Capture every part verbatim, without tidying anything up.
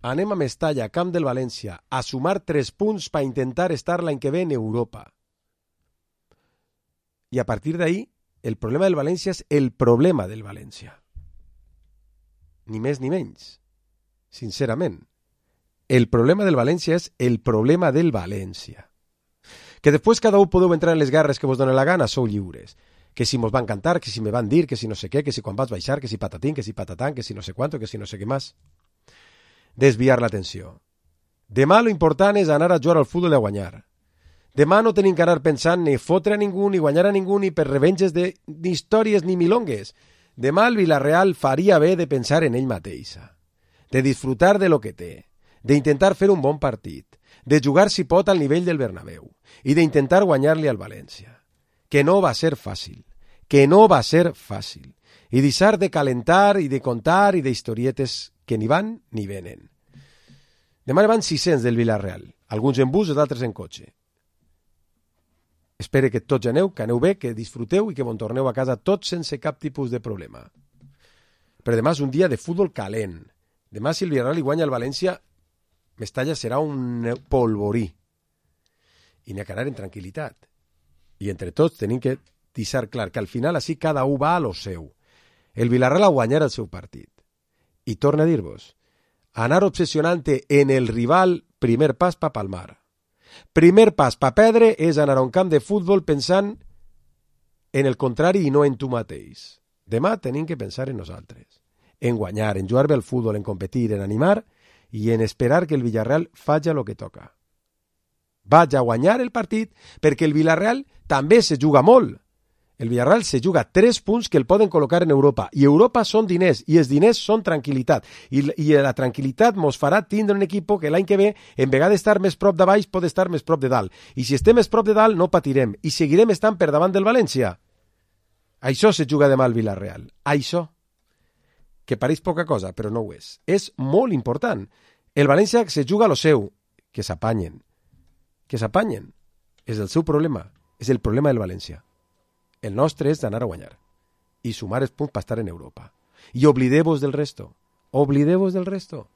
anem a Mestalla, camp del València, a sumar tres punts per intentar estar l'any que ve en Europa. I a partir d'ahí, el problema del València és el problema del València. Ni més ni menys. Sincerament. El problema del València és el problema del València. Que després cada un podeu entrar en les guerres que vos donen la gana, sou lliures. Que si mos van cantar, que si me van dir, que si no sé què, que si quan vas baixar, que si patatín, que si patatán, que si no sé quanto, que si no sé què més. Desviar l'atenció. Demà lo important és anar a jugar al futbol i a guanyar. Demà no tenim que anar pensant ni fotre a ningú, ni guanyar a ningú, ni per revenges de, ni històries ni milongues. Demà el Villarreal faria bé de pensar en ell mateixa, de disfrutar de lo que té, d'intentar fer un bon partit, de jugar si pot al nivell del Bernabéu i d'intentar guanyar-li al València. Que no va ser fàcil, que no va ser fàcil, i deixar de calentar i de contar i d'historietes que ni van ni venen. Demà van sis-cents del Villarreal, alguns en bus i d'altres en cotxe. Espero que tots aneu, que aneu bé, que disfruteu i que bon torneu a casa tots sense cap tipus de problema. Però demà és un dia de futbol calent. Demà, si el Villarreal li guanya al València, Mestalla serà un polvorí. I n'hi ha que anar en tranquil·litat. I entre tots tenim que deixar clar que al final així cada un va a lo seu. El Villarreal a guanyar el seu partit. I torna a dir-vos, anar obsessionant-te en el rival, primer pas pa palmar. Primer pas pa perdre és anar a un camp de futbol pensant en el contrari i no en tu mateix. Demà tenim que pensar en nosaltres, en guanyar, en jugar bé al futbol, en competir, en animar i en esperar que el Villarreal faci el que toca. Vaig a guanyar el partit perquè el Villarreal també se juga molt. El Villarreal se juga tres punts que el poden col·locar en Europa. I Europa són diners, i els diners són tranquil·litat. I, i la tranquil·litat mos farà tindre un equip que l'any que ve, en vegada d'estar més prop de baix, pot estar més prop de dalt. I si estem més prop de dalt, no patirem. I seguirem estant per davant del València. Això se juga demà al Villarreal. Això. Que pareix poca cosa, però no ho és. És molt important. El València se juga a lo seu. Que s'apanyen. Que s'apanyen. És el seu problema. És el problema del València. El nostre és d'anar a guanyar i sumar els punts per estar en Europa. I oblideu-vos del resto. Oblideu-vos del resto.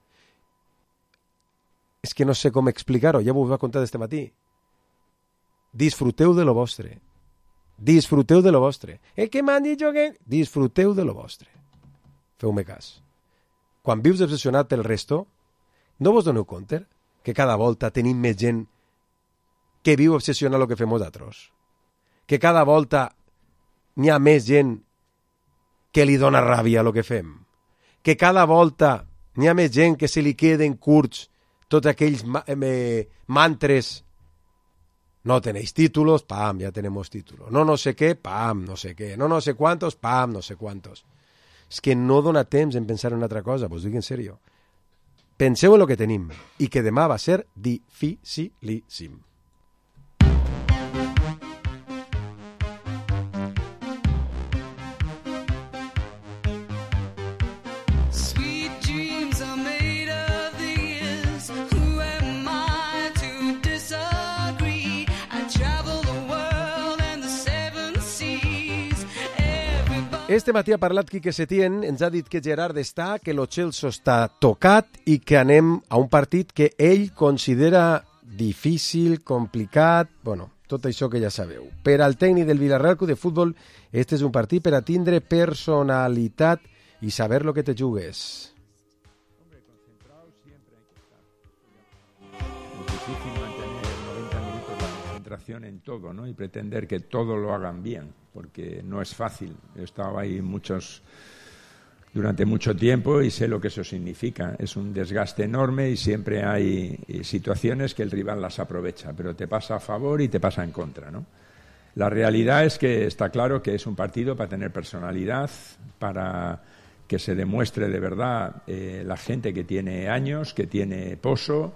És que no sé com explicar-ho, ja vos ho he contat este matí. Disfruteu de lo vostre. Disfruteu de lo vostre. El que m'han dit jo que... Disfruteu de lo vostre. Feu-me cas. Quan vius obsessionat pel resto, no vos doneu compte que cada volta tenim més gent que viu obsessionat el que fem nosaltres? Que cada volta n'hi ha més gent que li dona ràbia el que fem. Que cada volta n'hi ha més gent que se li queden curts tots aquells ma eh, mantres. No tenéis títulos, pam, ya tenemos títulos. No no sé què, pam, no sé què. No no sé cuántos, pam, no sé cuántos. És que no dona temps en pensar en una altra cosa, vos dic en sèrio. Penseu en el que tenim i que demà va ser dificilíssim. Este matí ha parlat Quique Setién, ens ha dit que Gerard està, que lo Chelsea està tocat i que anem a un partit que ell considera difícil, complicat, bueno, tot això que ja sabeu. Per al tècnic del Villarreal Club de Futbol, este és un partit per a tindre personalitat i saber lo que te jugues. Hombre, concentrado siempre hay que estar. Es difícil mantener noventa minutos la concentración en todo, ¿no? Y pretender que todo lo hagan bien, porque no es fácil. He estado ahí muchos durante mucho tiempo y sé lo que eso significa. Es un desgaste enorme y siempre hay situaciones que el rival las aprovecha, pero te pasa a favor y te pasa en contra, ¿no? La realidad es que está claro que es un partido para tener personalidad, para que se demuestre de verdad eh, la gente que tiene años, que tiene poso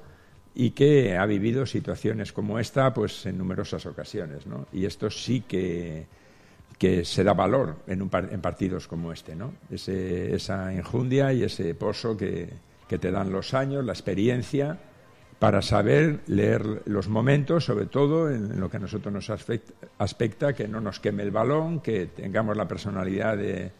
y que ha vivido situaciones como esta pues en numerosas ocasiones, ¿no? Y esto sí que que se da valor en, un par en partidos como este, ¿no? Ese, esa enjundia y ese poso que, que te dan los años, la experiencia, para saber leer los momentos, sobre todo en, en lo que a nosotros nos aspecta, aspecta, que no nos queme el balón, que tengamos la personalidad de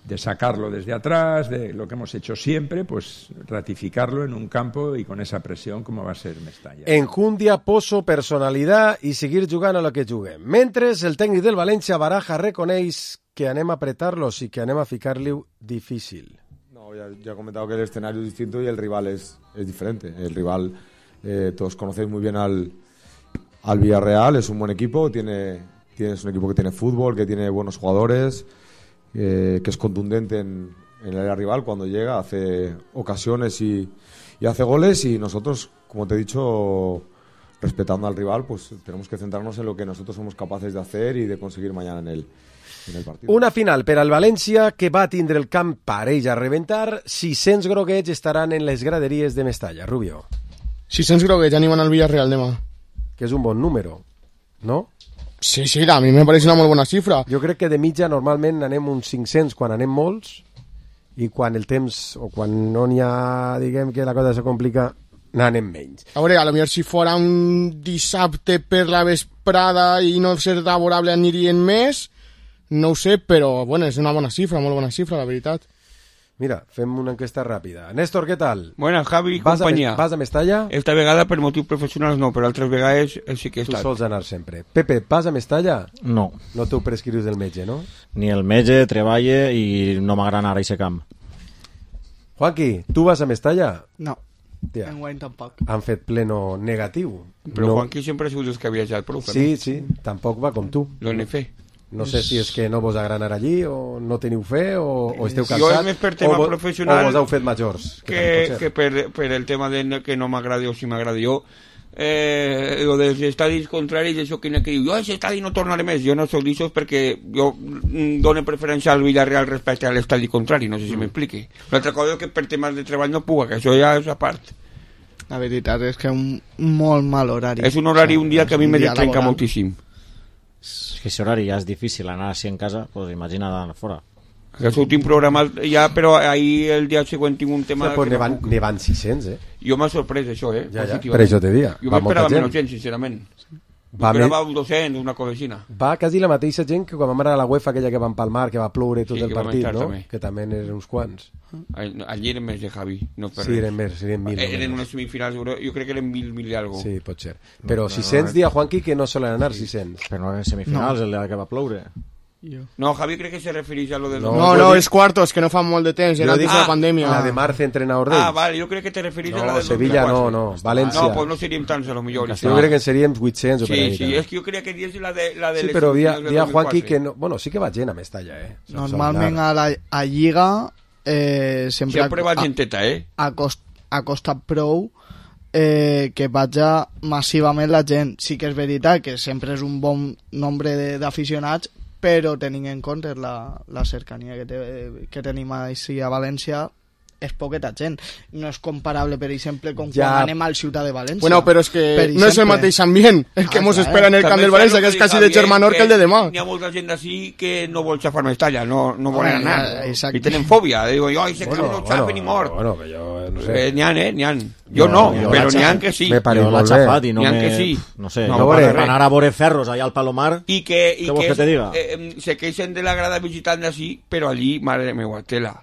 de sacarlo desde atrás, de lo que hemos hecho siempre, pues ratificarlo en un campo y con esa presión como va a ser Mestalla. Enjundia, poso, personalitat i seguir jugant a lo que juguem. Mentre el tècnic del València, Baraja, reconeix que anem a apretar-los i que anem a ficar-li difícil. No, ya, ya he comentado que el escenario es distinto y el rival es, es diferente. El rival, eh, todos conocéis muy bien al, al Villarreal, es un buen equipo, tiene, tiene, es un equipo que tiene fútbol, que tiene buenos jugadores, Eh, que es contundente en, en el área rival cuando llega, hace ocasiones y, y hace goles, y nosotros, como te he dicho, respetando al rival, pues tenemos que centrarnos en lo que nosotros somos capaces de hacer y de conseguir mañana en el, en el partido. Una final per al València que va tindre el camp parell a reventar. sis-cents groguets estaran en les graderies de Mestalla. Rubio. sis-cents groguets animen al Villarreal demà. Que és un bon número, no? Sí, sí, a mi me pareix una molt bona xifra. Jo crec que de mitja normalment anem uns cinc-cents quan anem molts, i quan el temps, o quan no n'hi ha, diguem que la cosa se complica, n'anem menys. A veure, a lo millor si fora un dissabte per la vesprada i no ser laborable anirien més, no ho sé, però bueno, és una bona xifra, molt bona xifra, la veritat. Mira, fem una enquesta ràpida. Néstor, què tal? Buenas, Javi i vas companyia. A, vas a Mestalla? Esta vegada per motius professionals no, però altres vegades sí que he Tu estat. sols anar sempre. Pepe, vas a Mestalla? No. No t'ho prescrius del metge, no? Ni el metge, treballe i no m'agrada anar a aquest camp. Juanqui, tu vas a Mestalla? No, Tia, enguany tampoc. han fet pleno negatiu. Però no. Juanqui sempre ha sigut els que ha viatjat prou. Sí, sí, tampoc va com tu. Lo n'he fet. No sé si és que no vos agrada anar allí, o no teniu fe, o, o esteu Jo cansats, és més per tema o, vo- professional o vos heu fet majors. Que, també pot que ser. per, per el tema de que no m'agrada o si m'agrada jo. Eh, lo dels estadis contraris, això que n'hi ha que diu, jo a aquest estadi no tornaré més. Jo no soc d'això perquè jo mm, dono preferència al Villarreal respecte a l'estadi contrari, no sé si Mm. m'expliqui. L'altra cosa és que per temes de treball no puc, que això ja és a part. La veritat és que és un molt mal horari. És un horari, un dia que a mi un me dia trenca laboral. moltíssim. És que si horari ja és difícil anar així en casa, doncs imagina anar fora. Aquest últim programa ja, però ahir el dia següent tinc un tema... Ja, pues que ne no van, puc. ne van sis-cents, eh? Jo m'ha sorprès això, eh? Ja, ja, positivament. per això te dia. Jo Va molta m'esperava gent. menys gent, sincerament. Va, Va me... va un dos-cents, una cosa així. va quasi la mateixa gent que quan vam anar a la UEFA, aquella que van palmar, que va ploure tot Sí, el que vam partit, estar no? també. Que també eren uns quants. Allí eren més de Javi, no per Sí, res. eren més, eren mil. Eren només. unes semifinals, jo jo crec que eren mil, mil i algo. Sí, pot ser. Però sis-cents dia Juanqui que no solen anar sis-cents. Però no en semifinals, no. El dia que va ploure. Jo. No, Javi crec que se refereix a lo del... No, No, no, és quartos, que no fa molt de temps, era Jo antes dic de la ah, pandèmia. La de Marce, entrenador d'ells. Ah, vale, jo crec que te refereix a la No, del Sevilla no, dos mil quatre. no, València. No, pues no seríem tants, a lo millor. Jo crec que en seríem vuit-cents o per Sí, ahí. sí, també. és que jo creia que dius la de, la de Sí, les però dia, semifinals del dia dos mil Juanqui quatre. que no... Bueno, sí que va gent a Mestalla, eh? Sol- Normalment sol anar. a la a Lliga eh, sempre, Sempre va a, genteta, eh? a, cost, a costat prou eh, que vaja massivament la gent. Sí que és veritat que sempre és un bon nombre de- d'aficionats, però tenint en compte la, la cercania que, te, que tenim així a València, és poqueta gent. No és comparable, per exemple, com Ja. quan anem al Ciutat de València. Bueno, però és que Per no és el exemple. mateix ambient el que Ah, mos clar. espera en el camp També del és València, cert que és que quasi dic, de Javier, germanor que el de demà. N'hi ha molta gent d'ací que no vol xafar Mestalla, no, no volen Ah, anar. exacte. I tenen fòbia. Digo, jo, ese Bueno, camp no bueno, xafen ni mort. bueno, que jo no sé. Eh, n'hi ha, eh? N'hi ha. Jo no, jo però l'ha n'hi ha xafat. que sí. Me pareix Jo l'ha molt bé. xafat i no N'hi ha me... que sí. No sé, No, no, veure, per anar a veure ferros allà al Palomar... I que, i Què vols que, que te diga? eh, em, se queixen de la grada visitant d'ací, però allí, madre meva, tela.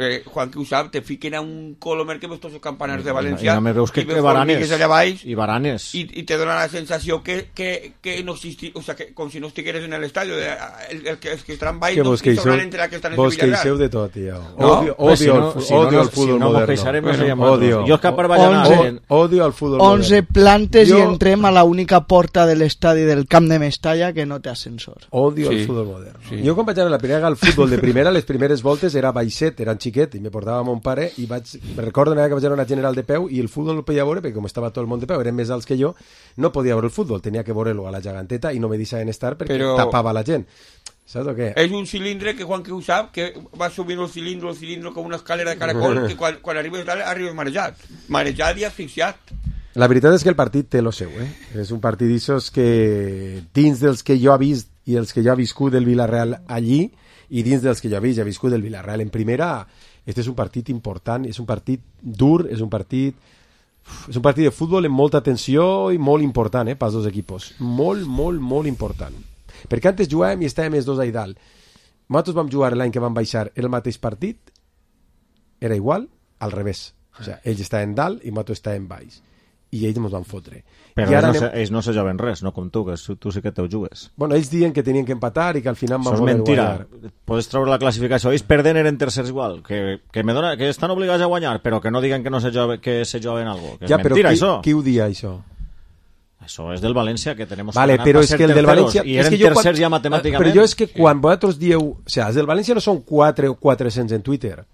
Eh, Juan, que ho sap, te fiquen a un colomer que ves tots els campanars de València I només veus que, i que veus baranes. formigues allà baix I baranes. i, i te dona la sensació que, que, que no existi, o sea, que com si no estigueres en l'estadi, el, el, que, els que estan baix Que no vos queixeu, estaran entre els que estan en vos Villarreal. queixeu de tot, tio. No? Odio, Pues si odio, no, el, fu- si no, odio no, el fútbol si no mos moderno. queixarem, no Bueno, seríem odio. nosaltres. Jo és que per vaig anar... Onze. en- Odio el fútbol onze moderno. plantes Jo- i entrem a la única porta de l'estadi del Camp de Mestalla que no té ascensor. Odio Sí. el fútbol moderno. Sí. Jo quan vaig anar a la primera al futbol de primera, les primeres voltes era baixet, era xiquet, i me portava mon pare, i vaig, me recordo una vegada que vaig anar a una general de peu, i el futbol no el podia veure, perquè com estava tot el món de peu, eren més alts que jo, no podia veure el futbol, tenia que veure-lo a la geganteta, i no me deixaven estar perquè Però- tapava la gent. Saps o què? És un cilindre que Juan que ho sap, que va subindo el cilindre, el cilindre com una escalera de caracol, que quan, quan arribes dalt arribes marejat. Marejat i asfixiat. La veritat és que el partit té lo seu, eh? És un partit d'issos que dins dels que jo he vist i els que jo he viscut del Villarreal allí, i dins dels que jo he vist i he viscut del Villarreal en primera, este és un partit important, és un partit dur, és un partit és un partit de futbol amb molta tensió i molt important, eh, pels dos equipos. Molt, molt, molt important. Perquè antes jugàvem i estàvem els dos ahí dalt. nosaltres vam jugar l'any que vam baixar el mateix partit, era igual, al revés. O sigui, ells estaven dalt i nosaltres estàvem baix. I ells ens van fotre. Però I ells, ara no anem... se, ells no se joven res, no com tu, que tu sí que te'l jugues. Bueno, ells diuen que tenien que empatar i que al final van Això és voler mentira. guanyar. Podes treure la classificació. Ells perden eren tercers igual. Que, que, me dona, que estan obligats a guanyar, però que no diguen que no se, jove, que se joven algo. Que és Ja, però mentira, qui, això. qui ho dia, això? Això és del València, que tenemos Vale, que ganar però per és ser que el del terceros, València... i és eren que jo tercers quan- ja matemàticament. Però jo és que quan vosaltres dieu... O sigui, els del València no són quatre o quatre-cents en Twitter.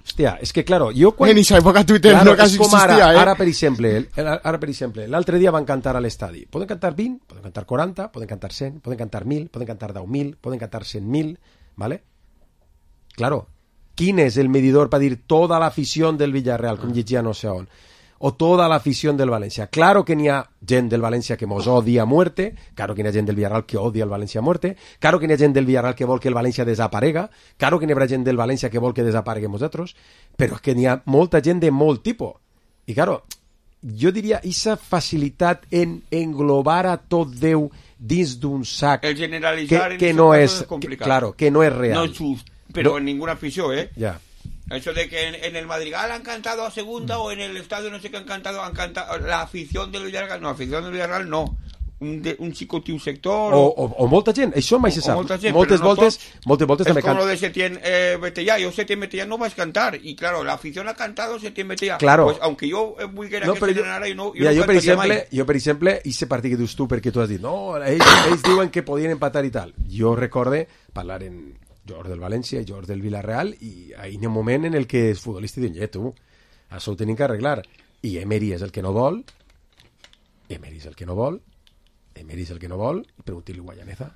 Hòstia, és que, claro, jo quan... En esa època Twitter Claro, no quasi és com existia, ara, eh? ara, per exemple, el- ara, per exemple, l'altre dia van cantar a l'estadi. Poden cantar vint, poden cantar quaranta, poden cantar cent, poden cantar mil, poden cantar deu mil, poden cantar cent mil, ¿vale? Claro, quin és el medidor per dir tota l'afició del Villarreal, com llegia no sé on, o tota l'afició del València? Claro que n'hi ha gent del València que mos odia a muerte, claro que n'hi ha gent del Villarreal que odia el València a muerte, claro que n'hi ha gent del Villarreal que vol que el València desaparega, claro que n'hi haurà gent del València que vol que desapareguem nosaltres, però és que n'hi ha molta gent de molt tipus. I claro, jo diria, aquesta facilitat en englobar a tot Déu dins d'un sac El generalizar que, en que este no caso és, es que, complicado. claro, que no es real. No es just, pero No. en ninguna afición, ¿eh? Ya. Eso de que en, en el Madrigal han cantado a segunda o en el estadio no sé qué han cantado, han cantado la afición del Villarreal, no, la afición del Villarreal no. Un, de, un xicotiu sector O, o, o molta gent, això mai se o sap. molta gent, moltes, però no voltes, tots. moltes voltes es també como can... lo de Setién eh, Betellà. Yo Setién Betellà no vas a cantar y claro, la afición ha cantado Setién Betellà. Claro. Pues aunque yo eh, muy quería No, que però se jo, ganara y no, yo mira, no jo, per cantaria exemple, mai. jo, per exemple, ese partit que dius tu, perquè tu has dit, no, ells, ells diuen que podien empatar i tal. Jo recorde parlar en jugadors del València i jugadors del Villarreal i hi ha un moment en el que els futbolistes diuen, eh, tu, això ho tenim que arreglar. I Emery és el que no vol, Emery és el que no vol, Emery és el que no vol, i pregunti-li a Guayaneza.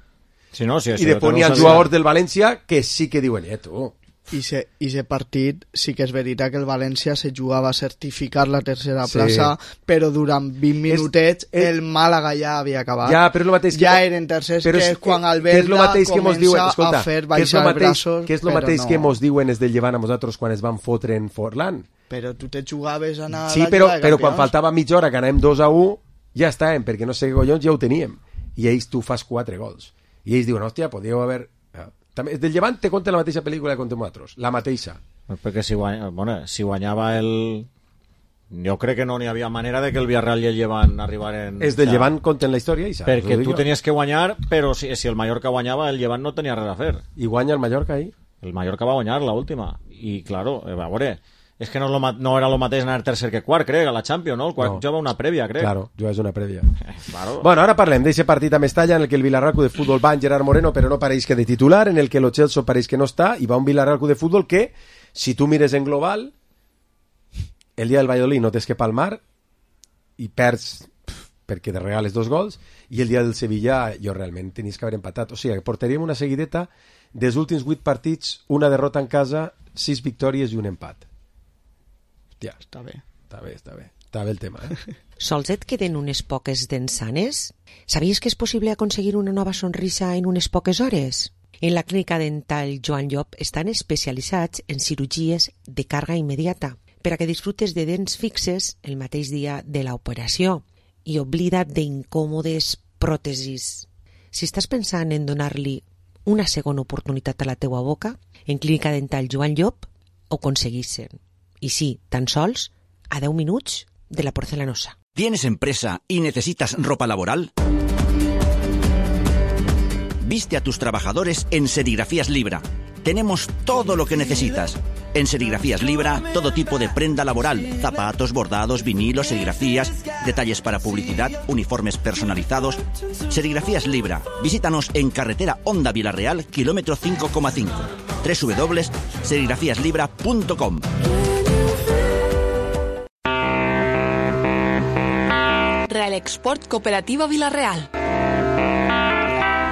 Si no, si I després n'hi ha jugadors del València que sí que diuen, eh, tu, I se, i se partit sí que és veritat que el València se jugava a certificar la tercera Sí. plaça, però durant vint minutets és- el Màlaga ja havia acabat. ja, però és el mateix que... Ja eren tercers, però que és és quan el que és lo Belda mateix que mos diuen, comença escolta, a fer que és lo baixar mateix, braços, que és el però mateix no. que mos diuen els del Llevant a nosaltres quan es van fotre en Forlán. Però tu te jugaves a anar a Sí, la però, Lliga de però quan Campions. faltava mitja hora que anàvem dos a u, ja estàvem, perquè no sé què collons ja ho teníem. I ells tu fas quatre gols. I ells diuen, hòstia, podíeu haver... També, del Llevant te conta la mateixa pel·lícula que contem nosaltres, la mateixa. Perquè si, guanya, bueno, si guanyava el... Jo crec que no n'hi havia manera de que el Villarreal i el Llevant arribaren... És del Llevant conten la història i saps. Perquè ho dic tu jo. tenies que guanyar, però si, si el Mallorca guanyava, el Llevant no tenia res a fer. I guanya el Mallorca ahir. El Mallorca va guanyar la última. I, claro, a veure, és que no, és lo, ma- no era el mateix anar tercer que quart, crec, a la Champions, no? El quart No. jugava una prèvia, crec. Claro, jo és una prèvia. Claro. Bueno, ara parlem d'aquest partit a Mestalla en el que el Villarreal Club de Fútbol va en Gerard Moreno, però no pareix que de titular, en el que el Chelsea pareix que no està, i va un Villarreal Club de Fútbol que, si tu mires en global, el dia del Valladolid no tens que palmar i perds pf, perquè te regales dos gols, i el dia del Sevilla jo realment tenies que haver empatat. O sigui, que portaríem una seguideta dels últims vuit partits, una derrota en casa, sis victòries i un empat. Hòstia, Està bé. està bé, està bé. Està bé el tema, eh? Sols et queden unes poques dents sanes? Sabies que és possible aconseguir una nova sonrisa en unes poques hores? En la clínica dental Joan Llop estan especialitzats en cirurgies de càrrega immediata per a que disfrutes de dents fixes el mateix dia de l'operació i oblida't d'incòmodes pròtesis. Si estàs pensant en donar-li una segona oportunitat a la teua boca, en clínica dental Joan Llop ho aconseguissin. I sí, tan sols a deu minuts de la porcelanosa. ¿Tienes empresa y necesitas ropa laboral? Viste a tus trabajadores en Serigrafías Libra. Tenemos todo lo que necesitas. En Serigrafías Libra, todo tipo de prenda laboral, zapatos, bordados, vinilos, serigrafías, detalles para publicidad, uniformes personalizados. Serigrafías Libra. Visítanos en carretera Honda Villarreal, kilómetro cinco coma cinco. doble u doble u doble u punto serigrafías libra punto com. Real Export Cooperativa Villarreal.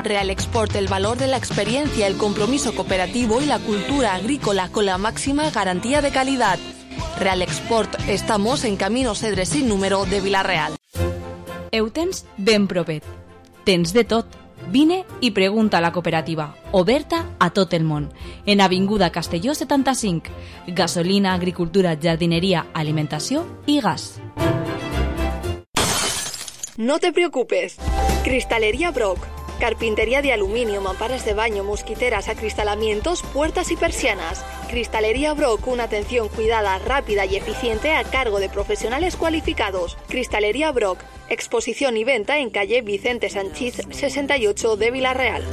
Real Export, el valor de la experiencia, el compromiso cooperativo y la cultura agrícola con la máxima garantía de calidad. Real Export, estamos en Camino Cedre sin número de Villarreal. Ho tens ben propet. Tens de tot. Vine i pregunta a la cooperativa, oberta a tot el món. En Avinguda Castelló setanta-cinc. Gasolina, agricultura, jardineria, alimentació i gas. No te preocupes. Cristalería Brock. Carpintería de aluminio, mamparas de baño, mosquiteras, acristalamientos, puertas y persianas. Cristalería Brock, una atención cuidada, rápida y eficiente a cargo de profesionales cualificados. Cristalería Brock, exposición y venta en calle Vicente Sanchís sesenta y ocho de Villarreal.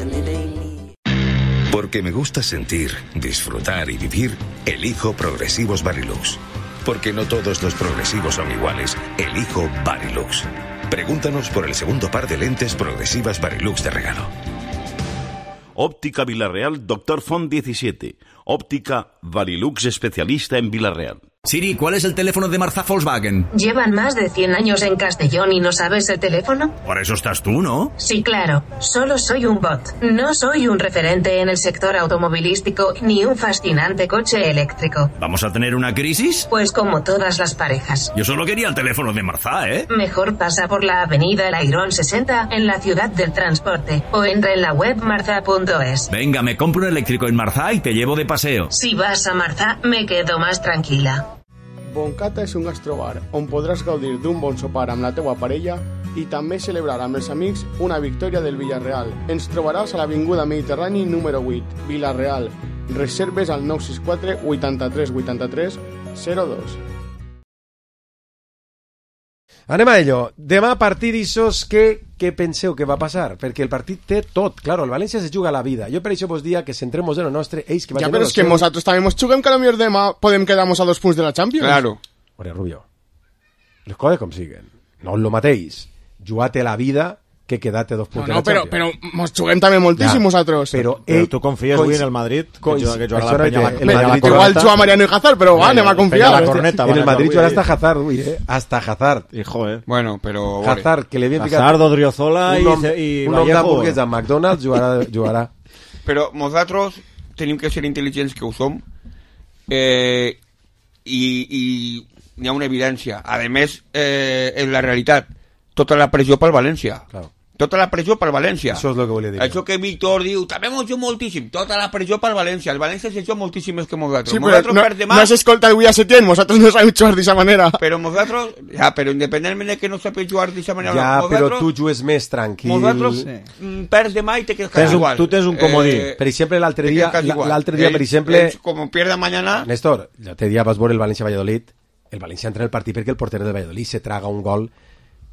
Porque me gusta sentir, disfrutar y vivir, elijo Progresivos Varilux. Porque no todos los progresivos son iguales, elijo Varilux. Pregúntanos por el segundo par de lentes progresivas Varilux de regalo. Óptica Villarreal, Doctor Font diecisiete. Óptica Varilux, especialista en Villarreal. Siri, ¿cuál es el teléfono de Marza Volkswagen? ¿Llevan más de cien años en Castellón y no sabes el teléfono? Por eso estás tú, ¿no? Sí, claro. Solo soy un bot. No soy un referente en el sector automovilístico ni un fascinante coche eléctrico. ¿Vamos a tener una crisis? Pues como todas las parejas. Yo solo quería el teléfono de Marza, ¿eh? Mejor pasa por la avenida El Airón sesenta en la ciudad del transporte o entra en la web marza punto es. Venga, me compro un eléctrico en Marza y te llevo de paseo. Si vas a Marza, me quedo más tranquila. Boncata és un gastrobar on podràs gaudir d'un bon sopar amb la teua parella i també celebrar amb els amics una victòria del Villarreal. Ens trobaràs a l'Avinguda Mediterrani número vuit, Villarreal. Reserves al nou sis quatre vuitanta-tres vuitanta-tres zero dos. Anem a ello. Demà partidissos, què, què penseu que va passar? Perquè el partit té tot. Claro, el València se juga la vida. Jo per això vos dia que centremos en lo nostre. Ells que ja, però és que nosaltres també ens juguem que a lo millor demà podem quedar-nos a dos punts de la Champions. Claro. Ore, Rubio, les coses com siguen. No és lo mateix. Jugar-te la vida que quedar-te dos punts no, no, de la Champions. Però, però mos juguem també moltíssim ja, nosaltres. Però, però tu confies avui en el Madrid? Coins, que jugarà la penya, la, la, la, la igual juga Mariano y Hazard, però va, anem a confiar. La corneta, en el Madrid jugarà hasta Hazard, uy, eh? Hasta Hazard. Hijo, eh. Bueno, però... Hazard, que li havien picat... Hazard, Odriozola i, nom, i un nom d'hamburgues a McDonald's jugarà, jugarà. Però nosaltres tenim que ser intel·ligents que ho som eh, i, i hi ha una evidència. A més, eh, en la realitat, tota la pressió pel València. Claro. Tota la pressió pel València. Això és el que volia dir. Això que Víctor diu, també mos juga moltíssim. Tota la pressió pel València. El València se juga moltíssim més que nosaltres. Sí, però no, demà... no s'escolta avui a Setién, nosaltres no sabem jugar d'aquesta manera. Però nosaltres, ja, però independentment de que no sapem jugar d'aquesta manera... Ja, però tu jugues més tranquil. Nosaltres sí. perds demà i te quedes tens igual. Tu tens un comodí. Eh, per exemple, l'altre dia, l'altre dia, per exemple... Com pierda mañana... Néstor, l'altre dia vas veure el València-Valladolid. El València entra en el partit perquè el porter del Valladolid se traga un gol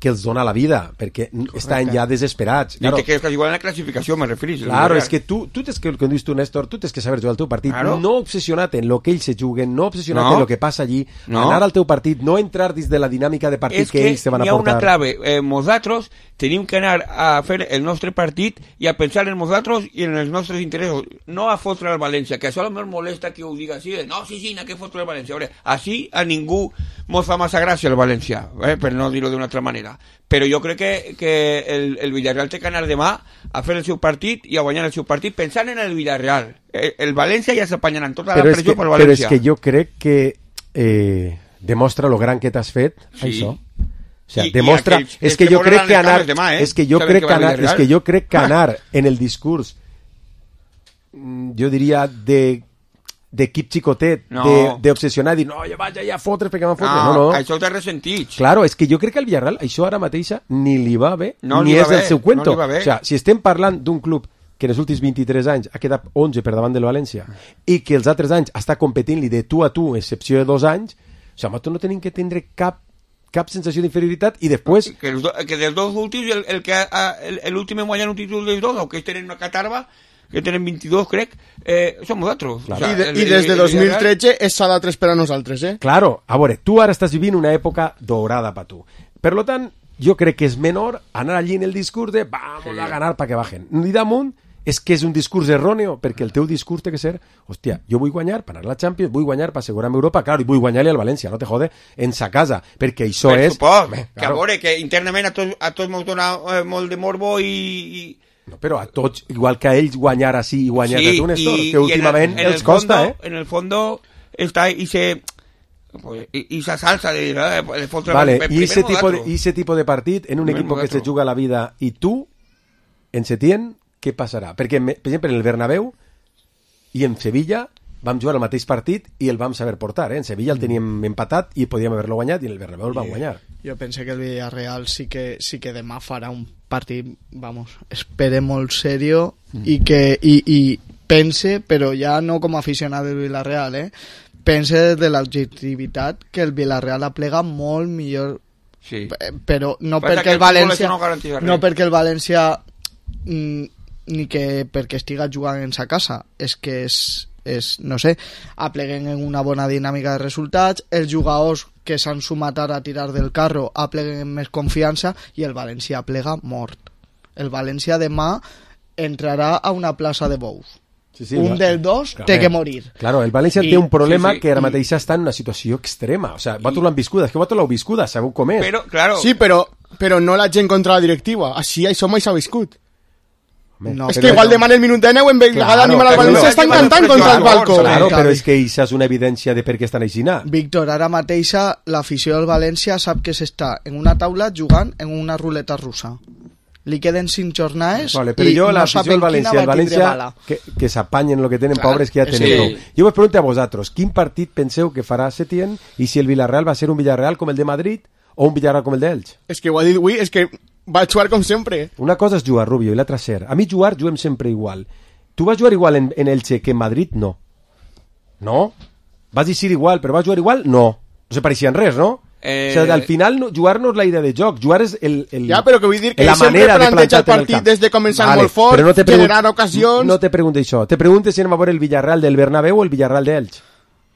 que els dona la vida, perquè correcte. Estan ja desesperats. Claro. I que quedes igual en la classificació, me referís. Claro, és que tu, tu tens que, com dius tu, Néstor, tu tens que saber jugar el teu partit, claro. No obsessionat en lo que ells se juguen, no obsessionat no. en lo que passa allí, no. Anar al teu partit, no entrar dins de la dinàmica de partit és que, que ells te van a portar. És que hi ha una clave, eh, nosaltres tenim que anar a fer el nostre partit i a pensar en nosaltres i en els nostres interessos, no a fotre el València, que això a lo millor molesta que ho diga així, no, sí, sí, no que fotre el València. Veure, així a ningú mos fa massa gràcia el València, eh, per no dir-ho d'una altra manera. Però jo crec que, que el, el Villarreal té que anar demà a fer el seu partit i a guanyar el seu partit pensant en el Villarreal. El, el València ja s'apanyaran tota la pressió pel València. Però és que jo crec que eh, demostra lo gran que t'has fet, sí. Això. O sea, I, demostra... I aquells, és que jo crec que anar... Demà, eh? És que jo crec que anar... És que jo crec que anar en el discurs, jo diria, de... d'equip xicotet, no. d'obsessionar, dir, no, ja vaig allà a fotre perquè m'han fotre. No, no, no. Això t'ha ressentit. Claro, és que jo crec que al Villarreal això ara mateixa ni li va bé, no ni li és va del bé, seu cuento. No li va bé. O sea, si estem parlant d'un club que en els últims vint-i-tres anys ha quedat onze per davant del València i que els altres anys està competint-li de tu a tu, excepció de dos anys, o sigui, nosaltres no tenim que tindre cap cap sensació d'inferioritat i després... Que, els do, que dels dos últims, el, el que l'últim en guanyar un títol dels dos, o que tenen una catarba, que tenen vint-i-dos, crec, eh, som nosaltres. Claro. O sea, I, de, el, I des de dos mil tretze és s'ha d'altres per a nosaltres, eh? Claro, a veure, tu ara estàs vivint una època dorada per tu. Per lo tant, jo crec que és menor anar allí en el discurs de vamos sí. a ganar para que bajen. I damunt és que és un discurs erròneo, perquè el teu discurs té que ser, hòstia, jo vull guanyar per anar a la Champions, vull guanyar per assegurar-me Europa, claro, i vull guanyar-li al València, no te jode, en sa casa, perquè això per és... Suport, Bé, que claro. A veure, que internament a tots, a tots m'ho dona eh, molt de morbo i... i... No, però a tots, igual que a ells guanyar així i guanyar sí, a tu, Néstor, i, que últimament en el, en els costa, fondo, eh? En el fondo està i se... i esa salsa de, de, de fotre vale, per, i ese tipo de, ese tipo de partit en un Primer equipo que se juga la vida i tu, en Setién, què passarà? Perquè, per exemple, en el Bernabéu i en Sevilla vam jugar el mateix partit i el vam saber portar, eh? En Sevilla el teníem empatat i podíem haver-lo guanyat i en el Bernabéu el vam guanyar. Jo penso que el Villarreal sí que, sí que demà farà un partit, vamos, espere molt serio mm. i que i, i pense, però ja no com a aficionat del Villarreal, eh? pense des de l'objectivitat que el Villarreal aplega molt millor, sí. però no Passa perquè el, el València no, no perquè el València mm, ni que perquè estiga jugant en sa casa, és que és, és no sé, apleguen en una bona dinàmica de resultats, els jugadors que s'han sumat ara a tirar del carro apleguen amb més confiança i el València aplega mort. El València demà entrarà a una plaça de bous. Sí, sí, un dels dos claro, té que morir. Claro, el València I, té un problema sí, sí, que ara i... mateix està en una situació extrema. O sea, vosaltres l'han viscuda, és que vosaltres l'heu viscuda, sabeu com és. Però, claro. Sí, però, però no la gent contra la directiva. Així això mai s'ha viscut. No, és que igual demà en el minut de nou en vegada claro, d'animar al València estan cantant contra el balcó. Claro, però és que això és una evidència de per què estan així. Víctor, ara mateixa l'afició del València sap que s'està en una taula jugant en una ruleta russa. Li queden cinc jornades vale, però i jo, no saben el València, quina el va tindre València, bala. Que, que s'apanyen el que tenen, Clar, pobres que ja tenen sí. prou. Jo vos pregunto a vosaltres, quin partit penseu que farà Setién i si el Villarreal va ser un Villarreal com el de Madrid o un Villarreal com el d'Elx? És que ho ha dit avui, és que va jugar com sempre. Una cosa és jugar, Rubio, i l'altra ser. A mi jugar, juguem sempre igual. Tu vas jugar igual en, en Elche que en Madrid? No. No? Vas dir igual, però vas jugar igual? No. No se pareixien res, no? Eh... O sigui, al final no, jugar no és la idea de joc, jugar és el, el, ja, però que vull dir que la sempre manera planteja de el partit el des de començar vale, molt fort, no generar ocasions... No te pregunto això, te pregunto si anem a veure el Villarreal del Bernabéu o el Villarreal d'Elx.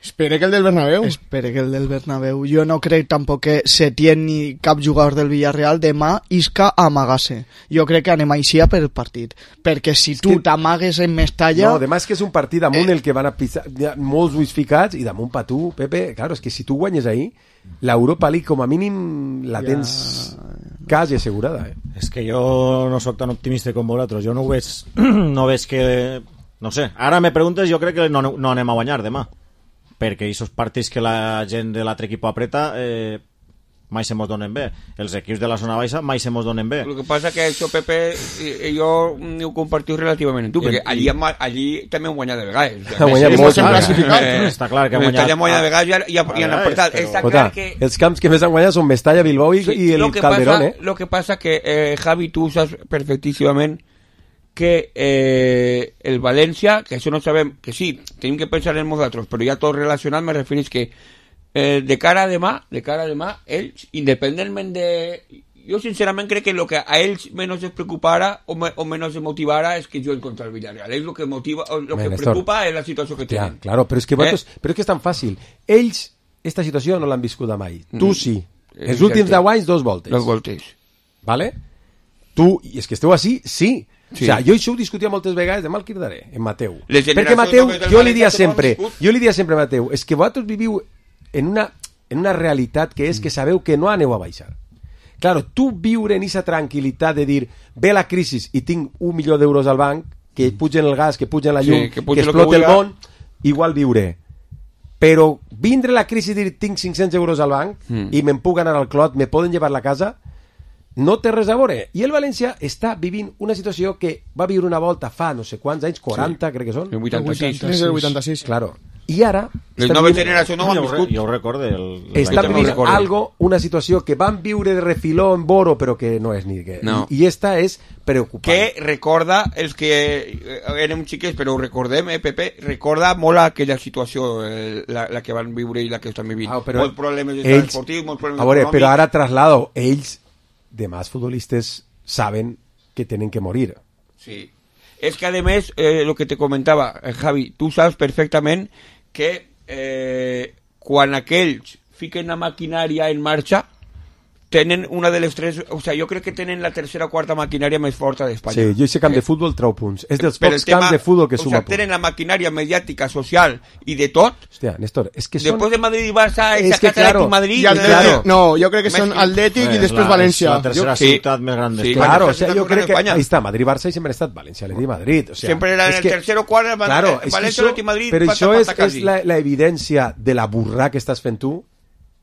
Espere que el del Bernabéu. Espere que el del Bernabéu. Jo no crec tampoc que Setién ni cap jugador del Villarreal demà isca a amagar-se. Jo crec que anem així per el partit. Perquè si tu que... t'amagues en Mestalla... No, demà és que és un partit damunt eh... el que van a pisar molts ulls ficats i damunt pa tu, Pepe. Claro, és que si tu guanyes ahí, l'Europa League com a mínim la tens ja... quasi assegurada. Eh? És que jo no sóc tan optimista com vosaltres. Jo no ho veig, no veig que... No sé, ara me preguntes, jo crec que no, no anem a guanyar demà. Perquè aquests partits que la gent de l'altre equip apreta eh, mai se mos donen bé. Els equips de la zona baixa mai se mos donen bé. El que passa que això, Pepe, jo ho compartiu relativament amb tu, perquè allí, allí també hem guanyat de vegades. O sigui, guanyat molt, classificat. Eh, està clar que hem guanyat. Hem guanyat de vegades i, i, i han apretat. Està clar que... Els camps que més han guanyat són Mestalla, Bilbao i, sí, i el Calderón, pasa, eh? Lo que pasa que, eh, Javi, tu saps perfectíssimament que eh, el València, que això no sabem, que sí, tenim que pensar en nosaltres, però ja tot relacionat me referís que eh, de cara a demà, de cara a demà, ells, independentment de... Jo sincerament crec que el que a ells menys es preocupara o, me, o menys es motivara és que juguen contra el Villarreal. Ells el que motiva, el que Nestor, preocupa és la situació que tenen. Ja, claro, però és que, vosaltres, eh? però és que és tan fàcil. Ells, esta situació no l'han viscuda mai. Mm. Tu sí. Els Exacte. últims deu anys, dos voltes. Dos voltes. Vale? Tu, i és que esteu així, sí. Sí. O sea, jo això ho discutia moltes vegades, demà el cridaré, en Mateu. Perquè Mateu, jo li dia sempre, jo li dia sempre a Mateu, és que vosaltres viviu en una, en una realitat que és que sabeu que no aneu a baixar. Claro, tu viure en aquesta tranquil·litat de dir, ve la crisi i tinc un milió d'euros al banc, que pugen el gas, que pugen la llum, sí, que, que exploti el món, igual viure. Però vindre la crisi i dir, tinc cinc-cents euros al banc mm. i me'n puc anar al clot, me poden llevar la casa... no té res a veure. I el València està vivint una situació que va viure una volta fa no sé quants anys, quaranta, sí. crec que són. El vuitanta-sis. És el vuitanta-sis. Claro. I ara... Les noves generacions no ho han viscut. Jo ho recorde. El, el està vivint no algo, una situació que van viure de refiló en Boro, però que no és ni... Que, no. I, I esta és preocupant. Que recorda, els que érem xiquets, però ho recordem, eh, Pepe, recorda molt aquella situació, eh, la, la que van viure i la que estan vivint. Ah, molts problemes ells, esportius, molts problemes a veure, econòmics. Però ara traslado, ells... demás futbolistas saben que tienen que morir. Sí. Es que además, eh, lo que te comentaba, eh, Javi, tú sabes perfectamente que eh, cuando aquellos fiquen la maquinaria en marcha, tenen una de les tres... O sea, jo crec que tenen la tercera o quarta maquinària més forta d'Espanya. Sí, jo sé camp de futbol trau punts. És dels pocs camps de futbol que suma punts. O sea, tenen la maquinària mediàtica, social i de tot. Hòstia, Néstor, és que són... Després de Madrid i Barça, és que claro, Madrid... I Atlètic, claro. No, jo crec que són Atlètic eh, i després la, València. La tercera sí. ciutat més gran d'Espanya. Sí, claro, o sea, jo crec que... Ahí està, Madrid, Barça i sempre han estat València, Atlètic i Madrid. O sea, sempre era en el que, tercer o quart, claro, València, Atlètic i Madrid... Però això és, és la, la evidència de la burra que estàs fent tu.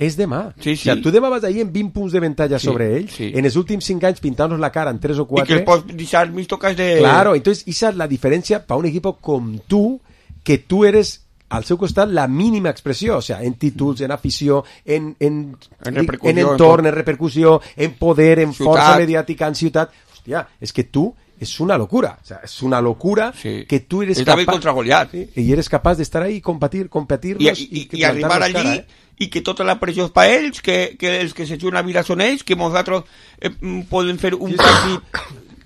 És demà. Sí, sí. O sea, tu demà vas ahir en vint punts de ventalla sí, sobre ells, sí. En els últims cinc anys pintant-nos la cara en tres o quatre... I que els pots deixar mis tocas de... Claro, entonces esa es la diferencia para un equipo com tu, que tú eres al seu costat la mínima expressió, o sea, en títols, en afició, en, en, en, en entorn, en repercussió, en poder, en ciutat. Força mediàtica, en ciutat. Hòstia, és que tu es una locura, o sea, es una locura sí. que tú eres es capaz contra Goliat, sí, y eres capaz de estar ahí y competir, competirlos y, y, y, y arribar allí cara, eh? I que tota la pressió és per ells, que, que els que se juguen a vida són ells, que nosaltres eh, podem fer un partit.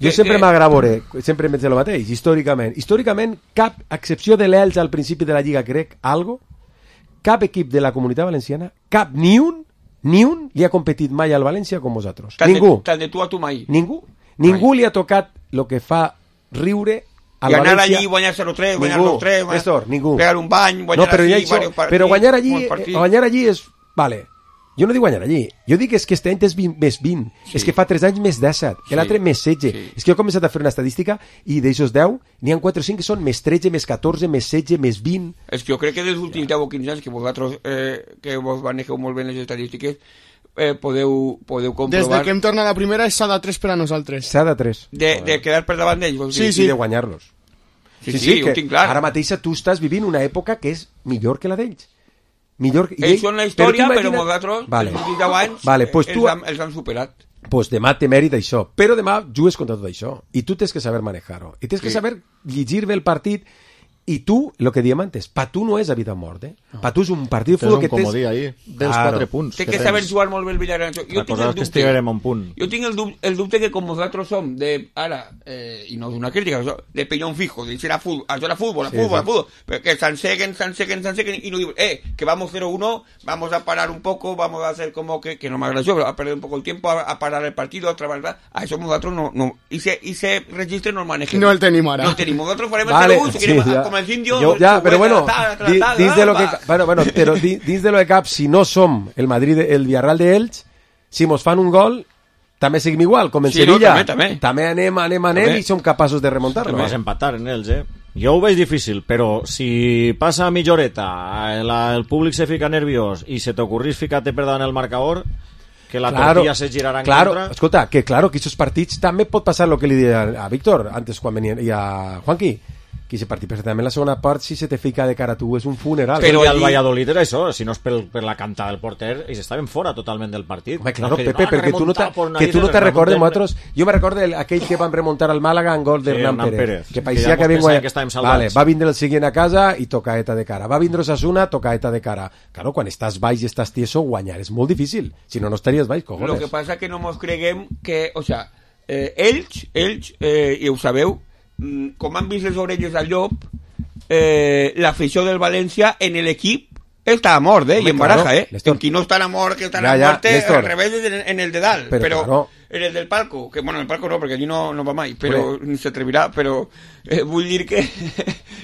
Jo sempre m'agravoré, sempre em penso el mateix, històricament. Històricament, cap, a excepció de l'Elx al principi de la Lliga, crec, algo, cap equip de la Comunitat Valenciana, cap, ni un, ni un li ha competit mai al València com vosaltres. Tant Ningú. De, tant de tu a tu mai. Ningú. Ningú mai. Li ha tocat el que fa riure al I anar València. allí, guanyar zero tres, guanyar dos tres, guanyar... Néstor, ningú. Pegar un bany, guanyar no, però allí, això, varios partits. Però guanyar allí, guanyar allí és... Vale, jo no dic guanyar allí. Jo dic és que este any és vint, més vint. Sí. És que fa tres anys més disset. Sí. L'altre més setze. Sí. És que jo he començat a fer una estadística i d'aixòs deu n'hi ha quatre o cinc que són més tretze, més catorze, més setze, més vint. És que jo crec que dels últims deu o quinze anys que vosaltres, eh, que vos manegeu molt bé les estadístiques, eh, podeu, podeu comprovar... Des de que hem tornat a la primera és s'ha de tres per a nosaltres. S'ha de tres. De, de quedar per davant d'ells. Sí, sí. I de guanyar-los. Sí, sí, sí, sí, ho tinc clar. Ara mateix tu estàs vivint una època que és millor que la d'ells. Millor que... Ells són la història, però, però nosaltres, vale. els deu anys, vale, pues els, tu... han, els han superat. Pues demà té mèrit això, però demà jugues contra tot això, i tu tens que saber manejar-ho, i tens que sí. saber llegir bé el partit, i tu, el que diem antes, pa tu no és a vida o mort, eh? No. Pa tu és un partit de futbol que tens... És un comodí ahí, dels claro. quatre punts. Té que, que saber jugar molt bé el Villarreal. Jo la tinc el dubte, que estiguem un punt. Jo tinc el dubte, el dubte que com nosaltres som de, ara, eh, i no és una crítica, de peñón fijo, de dir a fútbol, això era fútbol, a sí, fútbol, sí. a fútbol, pero que s'enseguen, s'enseguen, s'enseguen, i no diuen, eh, que vamos cero uno, vamos a parar un poco, vamos a hacer como que, que no me agradó, a perder un poco el tiempo, a, a parar el partido, a trabajar, a eso nosotros no, no, y se, y se registre no el manejemos. No el tenim ara. No el tenim, nosotros farem vale, el cero uno, si sí, queremos, ja. com els indios, jo, ja, però bueno, tal, tal, di, tal, dins de lo que, va. bueno, bueno, però di, dins de lo de cap, si no som el Madrid, el Villarreal de Elx, si mos fan un gol, també seguim igual, com en sí, Sevilla. No, també, també. també anem, anem, anem també. I som capaços de remuntar-lo. Vas empatar en ells, eh? Jo ho veig difícil, però si passa mitja horeta, el, el públic se fica nerviós i se t'ocorrís ficar-te per davant el marcador, que la claro, tortilla se girarà en claro, contra... Escolta, que claro, que esos partits també pot passar lo que li deia a Víctor antes quan venia, i a Juanqui, que ese partit perfectament la segona part si se te fica de cara a tu és un funeral. Però allí... el Valladolid era això, si no és per, per la cantada del porter, ells estaven fora totalment del partit. Home, claro, no, Pepe, no, perquè tu no, que tu no te recordes nosaltres, jo me recordo aquell que van remuntar al Màlaga en gol de sí, Hernán Pérez, Pérez, que parecia que, que, que, que vale, va vindre el siguiente a casa i tocaeta de cara, va vindre Osasuna, tocaeta de cara. Claro, quan estàs baix i estàs tieso, guanyar és molt difícil, si no, no estaries baix, cojones. Lo que pasa que no mos creguem que, o sea, eh, ells, ells, eh, i ho sabeu, com han vist les orelles al llop, Eh, l'afició del València en l'equip està a mort, eh? Home, i en baraja, claro, eh? Néstor. En qui no està a mort, que està ja, a ja, mort, al revés en, en el de dalt. Però, però claro. En el del palco, que bueno, en el palco no, perquè allí no, no va mai, però ni s'atrevirà, però eh, vull dir que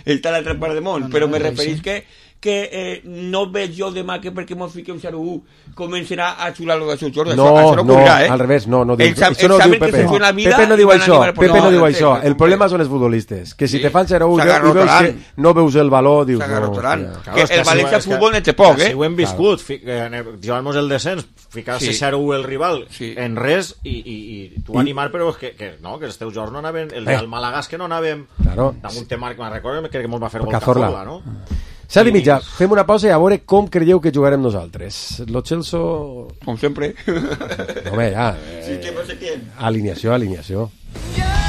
està a l'altra part del món, no, no, però me referís que que eh, no veig jo demà que perquè mos fiquem zero u començarà a xular-lo de seus jordes. No, això, això no, no eh? al revés, no, no diu, el, això no ho diu Pepe. Pepe no diu això, Pepe no diu això. El problema són els futbolistes, que si te fan zero u i veus que no veus el valor, dius no. Que el València Futbol n'és poc, eh? Si ho hem viscut, jugant-nos el descens, ficar-se zero u el rival en res i tu animar, però que no, que els teus jocs no anaven, el del Màlaga que no anàvem, damunt tema que me'n recordo, crec que mos va fer gol Cazorla, no? Set i mitja, fem una pausa i a veure com creieu que jugarem nosaltres. Lo Celso... Com sempre. Home, ja. Eh, sí, alineació, alineació.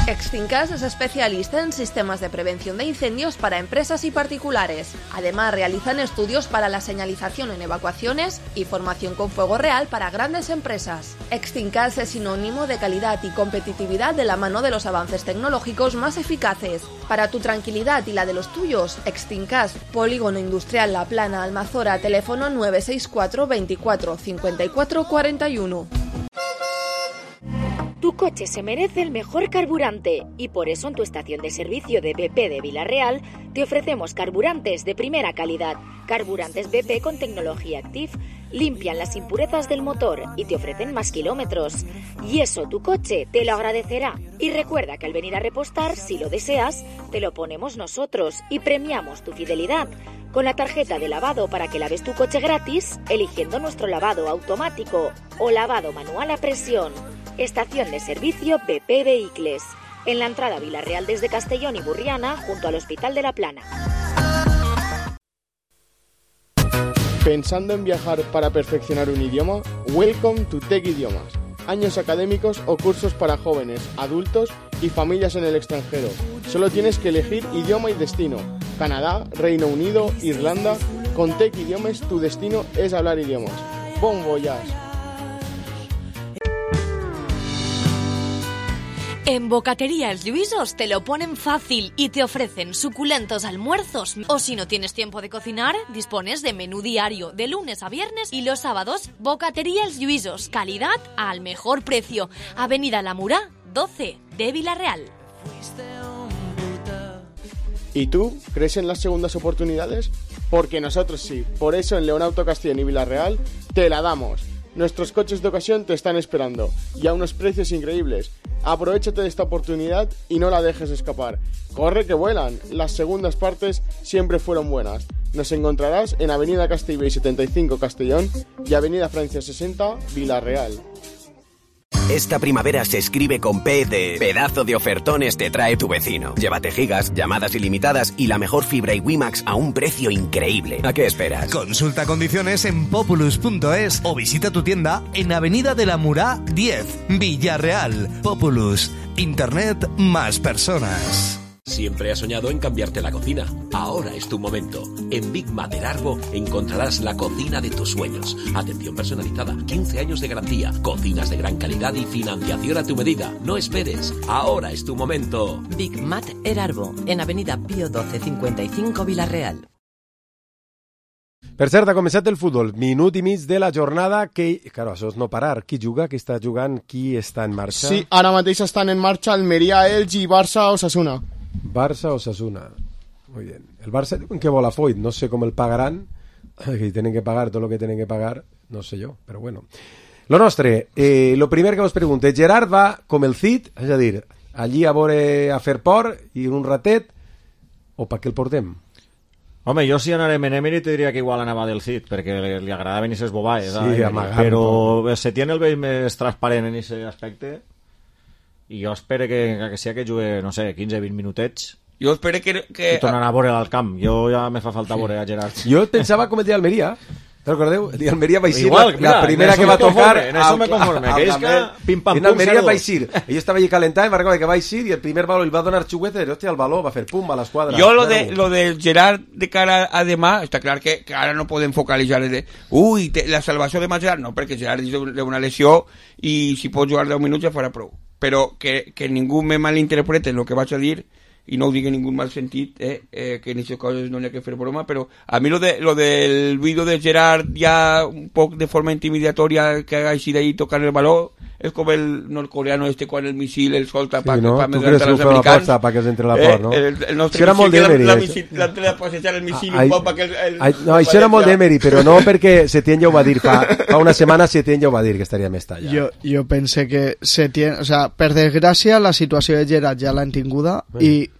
Extincas es especialista en sistemas de prevención de incendios para empresas y particulares. Además, realizan estudios para la señalización en evacuaciones y formación con fuego real para grandes empresas. Extincas es sinónimo de calidad y competitividad de la mano de los avances tecnológicos más eficaces. Para tu tranquilidad y la de los tuyos, Extincas, Polígono Industrial La Plana, Almazora, teléfono nueve seis cuatro veinticuatro cincuenta y cuatro cuarenta y uno. Tu coche se merece el mejor carburante y por eso en tu estación de servicio de B P de Vila-real te ofrecemos carburantes de primera calidad. Carburantes B P con tecnología Active limpian las impurezas del motor y te ofrecen más kilómetros. Y eso tu coche te lo agradecerá. Y recuerda que al venir a repostar, si lo deseas, te lo ponemos nosotros y premiamos tu fidelidad con la tarjeta de lavado para que laves tu coche gratis eligiendo nuestro lavado automático o lavado manual a presión. Estación de servicio B P Vehicles, en la entrada a Vila-real desde Castellón y Burriana, junto al Hospital de la Plana. ¿Pensando en viajar para perfeccionar un idioma? Welcome to Tech Idiomas. Años académicos o cursos para jóvenes, adultos y familias en el extranjero. Solo tienes que elegir idioma y destino. Canadá, Reino Unido, Irlanda. Con Tech Idiomas tu destino es hablar idiomas. Bon voyage. En Bocatería Els Lluïsos te lo ponen fácil y te ofrecen suculentos almuerzos. O si no tienes tiempo de cocinar, dispones de menú diario de lunes a viernes y los sábados. Bocatería Els Lluïsos, calidad al mejor precio. Avenida La Murá, doce de Villarreal. ¿Y tú? ¿Crees en las segundas oportunidades? Porque nosotros sí. Por eso en León Auto Castellón y Villarreal te la damos. Nuestros coches de ocasión te están esperando y a unos precios increíbles. Aprovechate de esta oportunidad y no la dejes escapar. ¡Corre que vuelan! Las segundas partes siempre fueron buenas. Nos encontrarás en Avenida Castellbell setenta y cinco Castellón y Avenida Francia sesenta Villarreal. Esta primavera se escribe con P de pedazo de ofertones te trae tu vecino. Llévate gigas, llamadas ilimitadas y la mejor fibra y WiMax a un precio increíble. ¿A qué esperas? Consulta condiciones en populus punto es o visita tu tienda en Avenida de la Murá diez, Villarreal. Populus, Internet más personas. Siempre has soñado en cambiarte la cocina. Ahora es tu momento. En Big Mater Arbo encontrarás la cocina de tus sueños. Atención personalizada, quince años de garantía, cocinas de gran calidad y financiación a tu medida. No esperes. Ahora es tu momento. Big Mater Arbo, en Avenida Pío doce cincuenta y cinco Villarreal. Per cert, ha començat el futbol. Minut i mig de la jornada que... Claro, això és no parar. Qui juga, qui està jugant, qui està en marxa? Sí, ara mateix estan en marxa Almeria, Elx i Barça Osasuna. Barça o Osasuna. Muy bien. El Barça diuen que vol a Foyt, no sé com el pagaran, que tienen que pagar tot lo que tienen que pagar, no sé jo, però bueno. Lo nostre, eh, lo primer que vos pregunte, Gerard va com el Cid, és a dir, allí a veure a fer por i un ratet, o per què el portem? Home, jo si anarem en Emery te diria que igual anava del Cid, perquè li, li agradaven aquestes bobades, sí, eh, però se tiene el vell més transparent en aquest aspecte. I jo espero que, que sigui que jugue, no sé, quinze vint minutets. Jo espero que... que... I tornarà a veure al camp. Jo ja me fa falta veure a Gerard. Jo pensava com el dia d'Almeria. ¿Te recordeu? El dia d'Almeria va ser Igual, la, mira, la primera que va tocar... En eso me conforme. Que és que pim pam en pum. Almeria va ser. Ell estava allí calentant, va recordar que va ser i el primer baló el va donar xuguete i hòstia, el baló va fer pum a l'esquadra. Jo lo de, lo de Gerard de cara a demà, està clar que, que ara no podem focalitzar de, ui, te, la salvació de Gerard, no, perquè Gerard és d'una lesió i si pot jugar deu minuts ja farà prou. Però que, que ningú me malinterprete el que vaig a dir i no ho digui en ningú mal sentit, eh, eh, que en aquestes coses no n'hi ha que fer broma, però a mi lo, de, lo del vídeo de Gerard ja un poc de forma intimidatoria que haga així d'ahí tocant el baló és com el nordcoreano este quan el missil el solta sí, pa, no? pa tu creus que ho feu a posta pa que us entre la por, no? Eh, el, el nostre això era molt d'Emery l'altre de passejar el missil un poc perquè el, el, ai, no, això era molt d'Emery, però no perquè Setién ja ho va dir fa, fa una setmana Setién ja ho va dir que estaria més talla. Jo, jo pense que Setién, o sea, per desgràcia la situació de Gerard ja l'han tinguda mm. i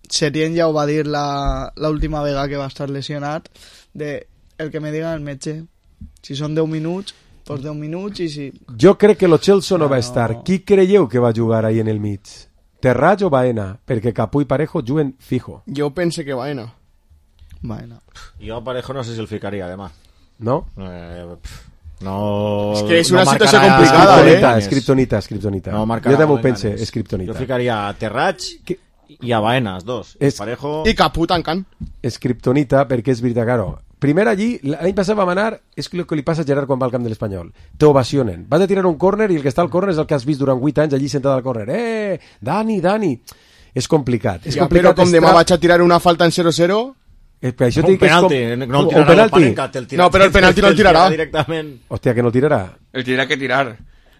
Setién ja ho va dir la, la última vegada que va estar lesionat de el que me diga el metge si són deu minuts pues deu minuts i si... Jo crec que lo Chelsea no, no va estar. Qui creieu que va jugar ahí en el mig? Terrats o Baena? Perquè Capú i Parejo juguen fijo. Jo pense que Baena. Baena. Jo a Parejo no sé si el ficaria demà. No? Eh, no... És que és una no situació complicada, eh? Escriptonita, escriptonita. No jo també ho pense, escriptonita. Jo ficaria a Terrats que... i a Baena, els dos. Es... Parejo... I Capú tancant. Escriptonita, perquè és veritat, claro. Primer allí, l'any passat vam anar, és el que li passa a Gerard quan va al camp de l'Espanyol. T'ovacionen. Vas a tirar un córner i el que està al córner és el que has vist durant vuit anys allí sentat al córner. Eh, Dani, Dani. És complicat. És ja, complicat però com demà vaig a tirar una falta en cero cero... Eh, per això un penalti. Com... No, un penalti. El no, però el penalti no el tirarà. Directament. Hòstia, que no el tirarà. El tindrà que tirar.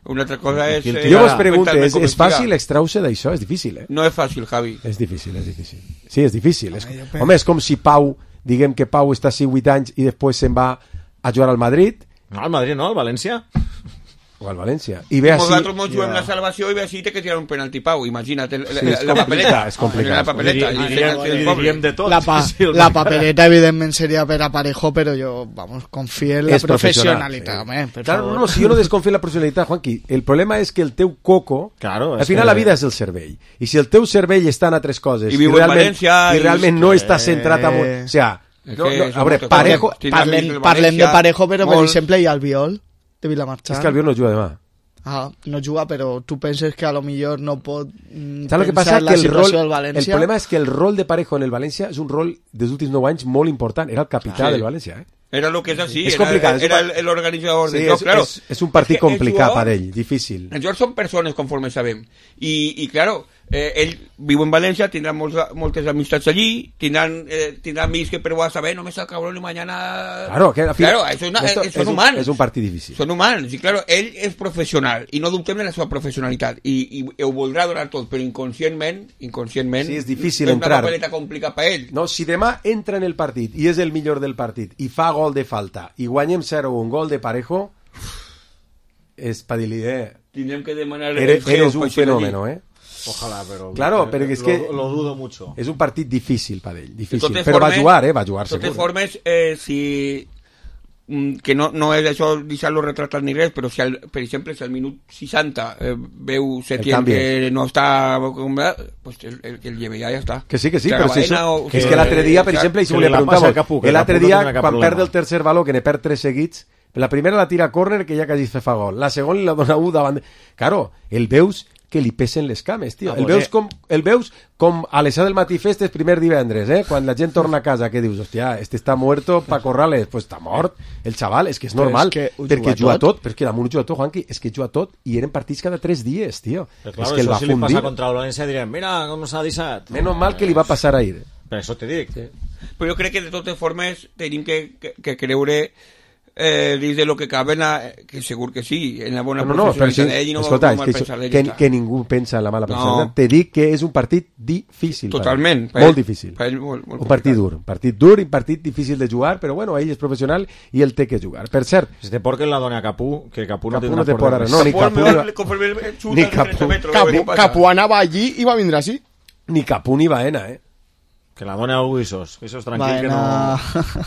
Una altra cosa és... Eh, jo vos pregunto, és, és fàcil extraure d'això? És difícil, eh? No és fàcil, Javi. És difícil, és difícil. Sí, és difícil. És... Home, és com si Pau, diguem que Pau està així vuit anys i després se'n va a jugar al Madrid. No, al Madrid no, al València. O al València. I ve així... Nosaltres mos juguem la salvació i ve així té que tirar un penalti Pau. Imagina't la, sí, la, la papeleta. És complicat. La papeleta. I diríem de tot. La, pa, la papeleta evidentment seria per a Parejo, però jo, vamos, confio en la professionalitat. Sí. Claro, no, no, si jo no desconfio en la professionalitat, Juanqui, el problema és que el teu coco, claro, al final que... la vida és el cervell. I si el teu cervell està en altres coses i, i realment, València, i realment i... no està centrat en... O sea, No, no, a veure, Parejo... Parlem, parlem de Parejo, però per exemple hi ha Albiol, de Vilamarxant. És que Albiol no juga demà. Ah, no juga, però tu penses que a lo millor no pot pensar que passa? la que el situació rol, del València? El problema és que el rol de Parejo en el València és un rol dels últims nou anys molt important. Era el capità Sí. del València, eh? Era lo que es así, Es era, complicado, era es el, el organizador Sí, del joc, es, claro. es, es un partit Es que el complicat jugador- per ell, difícil. Els jugadors són persones, conforme sabem. I, i claro, eh, ell viu en València, tindrà molts, moltes amistats allí, tindran, eh, tindrà amics que però va a saber, no me saca cabrón y mañana... Claro, que al final- claro, eso es una- esto eh, es son un- humans. és un partit difícil. Són humans, i claro, ell és professional, i no dubtem de la seva professionalitat, i, i ho voldrà donar tot, però inconscientment, inconscientment... Sí, és difícil és entrar. una papeleta complicada per ell. No, si demà entra en el partit i és el millor del partit i fa gol de falta i guanyem zero un gol de Parejo, és pa dir-li, eh? Tindrem que demanar... Eres, el eres geo un per ser allí. fenómeno, eh? Ojalá, pero... Claro, pero es que... Lo, lo dudo mucho. És un partit difícil per ell, De difícil. totes Però va formes- jugar, eh? Va jugar De totes segur. formes, eh, si... mm, que no, no és això deixar-lo retratat ni res, però si al, per exemple si al minut seixanta eh, veu Setién canvi. que no està pues el, el que el lleve ja, ja està. Que sí, que sí, Que però si Baena això, o- que és que l'altre dia, per que- exemple, i si que li li la passa preguntàvem, al Capu, que el l'altre Capu no dia, tenia cap quan problema. perd el tercer valor, que ne perd tres seguits, la primera la tira a córner, que ja quasi se fa gol. La segona li la dona u davant... Claro, el veus que li pesen les cames, tio. Ah, El pues, veus eh. com, el veus com a les set del matí festes primer divendres, eh? Quan la gent torna a casa, que dius, hòstia, este està muerto pa Corrales, pues està mort. El xaval, és que és Però normal, és que ho perquè juga juga tot. tot, però és que damunt ho juga tot, Juanqui, és que juga tot, i eren partits cada tres dies, tio. Pero claro, és que el eso va si le fundir. pasa contra el Valencia dirían, mira cómo se ha disat. Menos mal que li va passar a ir. Per això te dic. Sí. Però jo crec que de totes formes tenim que, que, que creure eh, dins de lo que cabe, en la, que segur que sí, en la bona No, no, però sí, professionalitat d'ell i no escolta, va és mal que, pensar això, d'ell. que, ja està. que ningú pensa en la mala No. personalitat. Te dic que és un partit difícil. per Totalment, ell. per Molt ell- difícil. per ell molt- molt un partit dur. Un partit dur i un partit difícil de jugar, però bueno, ell és professional i ell té que jugar. Per cert, Si te porque la dona Capú, que Capú no Capú tindrà no te por podrà de res. res. No, ni Capú, Capú, el- ni- conforme el xuta ni de trenta Capú. metros, Capu, què passa? Capu anava allí i va vindre així. ni Capú ni Baena, eh? Que la dona algú Isos. Isos tranquil que Baena...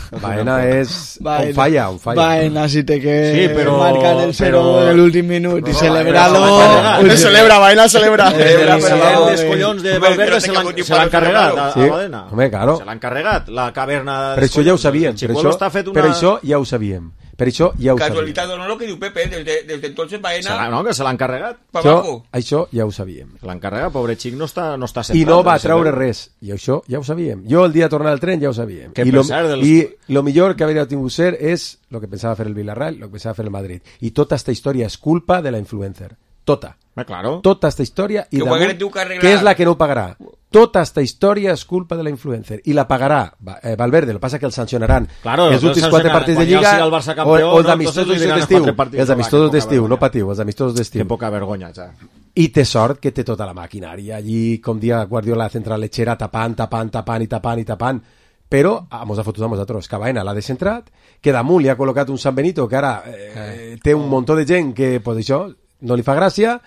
no... Baena és... Baena. On falla, on falla. Baena, si te que Sí, però- marcan el cero però- en el últim minut i No, celebralo... Baena, El celebra, Baena celebra. Celebra, Sí, però sí, els sí. collons de Hombre, Valverde espérate se que l'han algún se l'han tipo de carregat a, celebrado. a Sí. Badena. Home, claro. Se l'han carregat, la caverna... Per això ja ho sabíem. El Per Chicuelo això, està fet una... per això ja ho sabíem. Per això ja ho sabíem. Casualitat o no, lo que diu Pepe, desde, desde entonces Se Baena l'han- no, que se l'han carregat. pa Això, abajo. això ja ho sabíem. Se l'han carregat, pobre xic, no està, no està I centrat. no va en treure ese- res. I això ja ho sabíem. Jo el dia de tornar al tren ja ho sabíem. Que I per lo, cert, dels- I lo millor que hauria tingut ser és el que pensava fer el Villarreal, el que pensava fer el Madrid. I tota esta història és culpa de la influencer. Tota. Eh, claro. Tota esta història i Que ho damunt, hagués tu que arreglar. que és la que no ho pagarà. Tota esta història és culpa de la influencer i la pagarà Va- eh, Valverde, el que passa que el sancionaran Claro, els el últims quatre sancionaran. partits de Quan ja Lliga siga el Barça o, campió, o els no, entonces amistosos li diran els d'estiu quatre partits. els Va, amistosos que poca d'estiu, no vergonya. patiu, els amistosos Que d'estiu poca vergonya, ja. i té sort que té tota la maquinària allí, com dia Guardiola central lechera, tapant, tapant, tapant i tapant i tapant, però ah, mos ha fotut a nosaltres, que Baena l'ha descentrat, que damunt li ha col·locat un San Benito que ara eh, té un muntó de gent que, pues això, no li fa gràcia,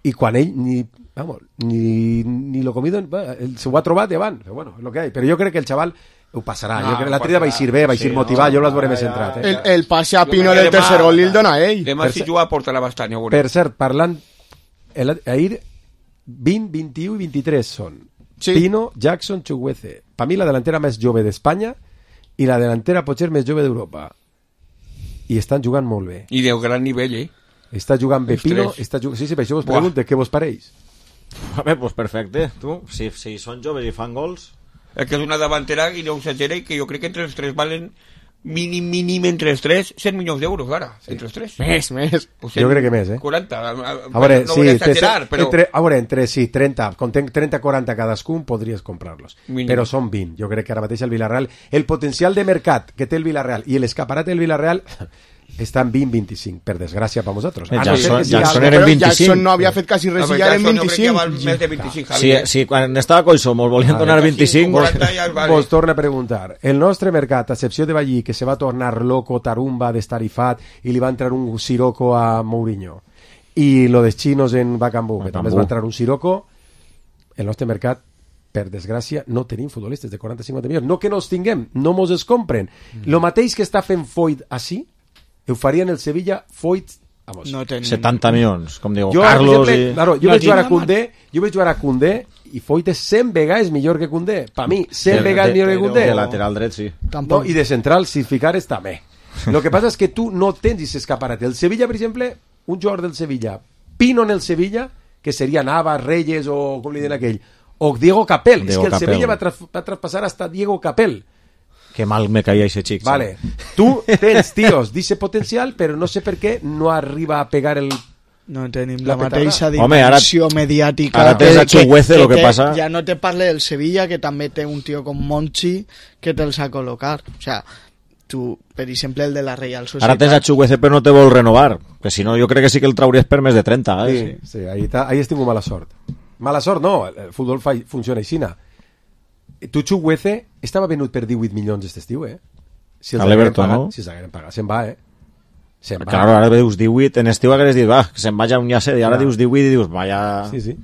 i quan ell ni, vamos, ni, ni lo comido, ell s'ho ha trobat i avant, però bueno, és el que hi ha. Però jo crec que el xaval ho passarà, No, jo crec que l'altre dia passarà. vaig ir bé, vaig Sí, ir no, motivat, jo no, les veuré ja, més ja, centrat. Eh? El, el passe a Jo Pino crec que del demà- tercer gol li el dona a ell. Demà Per si cert- juga portarà bastant, ja ho veurem. Per cert, parlant, el, ahir vint, vint-i-u i vint-i-tres són Sí. Pino, Jackson, Chukwueze. Per mi la delantera més jove d'Espanya i la delantera potser més jove d'Europa. I estan jugant molt bé. I de gran nivell, eh? Està jugant bé Els Pino, tres. està jugant... Sí, sí, per això vos Buah. pregunto, què vos pareix? A veure, pues perfecte. Tu, si, si són joves i fan gols... Es que és una davantera i no exagera i que jo crec que entre els tres valen mínim, mínim entre els tres cent milions d'euros, ara, sí. Entre els tres. Més, més. Pues Jo crec que més, eh? quaranta. A, a, A veure, no sí, vull té- exagerar, però... entre, a veure, entre sí, trenta, com tenc trenta quaranta cadascun, podries comprar-los. Mínim. Però són vint. Jo crec que ara mateix el Villarreal, el potencial de mercat que té el Villarreal i l'escaparat del Villarreal està en vint vint-i-cinc, per desgràcia per vosaltres. Eh, A no Jackson- ser que sigui Jackson algo- era en Però vint-i-cinc. Jackson no havia fet quasi res A i veure, ja era en Jackson jo crec que val vint-i-cinc. més de vint-i-cinc, Si, Javi. eh? si quan estava Coixo mos volien A donar veure, vint-i-cinc... quaranta Pues, ja vale. Vos torna a preguntar, el nostre mercat, a excepció de Ballí, que se va tornar loco, tarumba, destarifat, i li va entrar un siroco a Mourinho, i lo dels xinos en Bacambú, que també es va entrar un siroco, el nostre mercat, per desgràcia, no tenim futbolistes de quaranta a cinquanta milions. No que no els tinguem, no mos els compren. Mm. Lo mateix que està fent Foyt així, ho farien el Sevilla, Foyt... Vamos. No tenim. setanta milions, com diu Jo, Carlos per exemple, i... claro, jo No vaig jugar a tinc- Koundé, jo vaig jugar a Koundé i Foyt és cent vegades millor que Koundé. Per mi, cent De- vegades de- millor que Koundé. de lateral dret, sí. No, i de central, si ficares, també. Lo que passa és que tu no tens aquest escaparat. El Sevilla, per exemple, un jugador del Sevilla, Pino en el Sevilla, que seria Navas, Reyes o com li diuen aquell, o Diego Capel. Diego és que el Capel. Sevilla va, tra va traspassar hasta Diego Capel. Que mal me caía ese chico. Vale. Tu tens tios d'ese potencial, però no sé per què no arriba a pegar el... No tenim La la, mateixa petarda. Home, ara- dimensió mediàtica. ara tens a Chukwueze, lo que té- passa- Ja no te parle del Sevilla, que també té un tio com Monchi que te'ls ha col·locar. O sea, tu, per exemple, el de la Real Societat... Ara tens a Chukwueze però no te vol renovar, que si no jo crec que sí que el trauries per més de trenta, eh? Sí, sí, ahí, ta, ahí has tingut mala sort. Mala sort no, el futbol fa, funciona així. Tu, Chukwueze, estava venut per divuit milions aquest estiu, eh? Si els A hagueren l'Everton, pagat, no? Si els hagueren pagat, se'n va, eh? Se'n va. Claro, ara dius divuit, en estiu hagués dit, va, que se'n vaya un llacet, i ara Ja. dius divuit i dius, vaya... Sí, sí.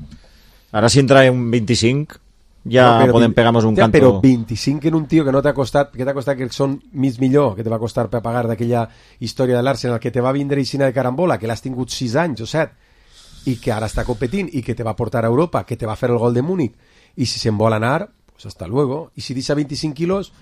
Ara si entra un vint-i-cinc, ja No, però podem vint- pegar-nos un ja, canto... Però vint-i-cinc en un tio que no t'ha costat, que t'ha costat que són mig millor, que te va costar per pagar d'aquella història de l'Arsenal, que te va vindre Ixina de carambola, que l'has tingut sis anys o set, i que ara està competint, i que te va portar a Europa, que te va fer el gol de Múnich, i si se'n vol anar, pues hasta luego. I si deixa veinticinc quilos,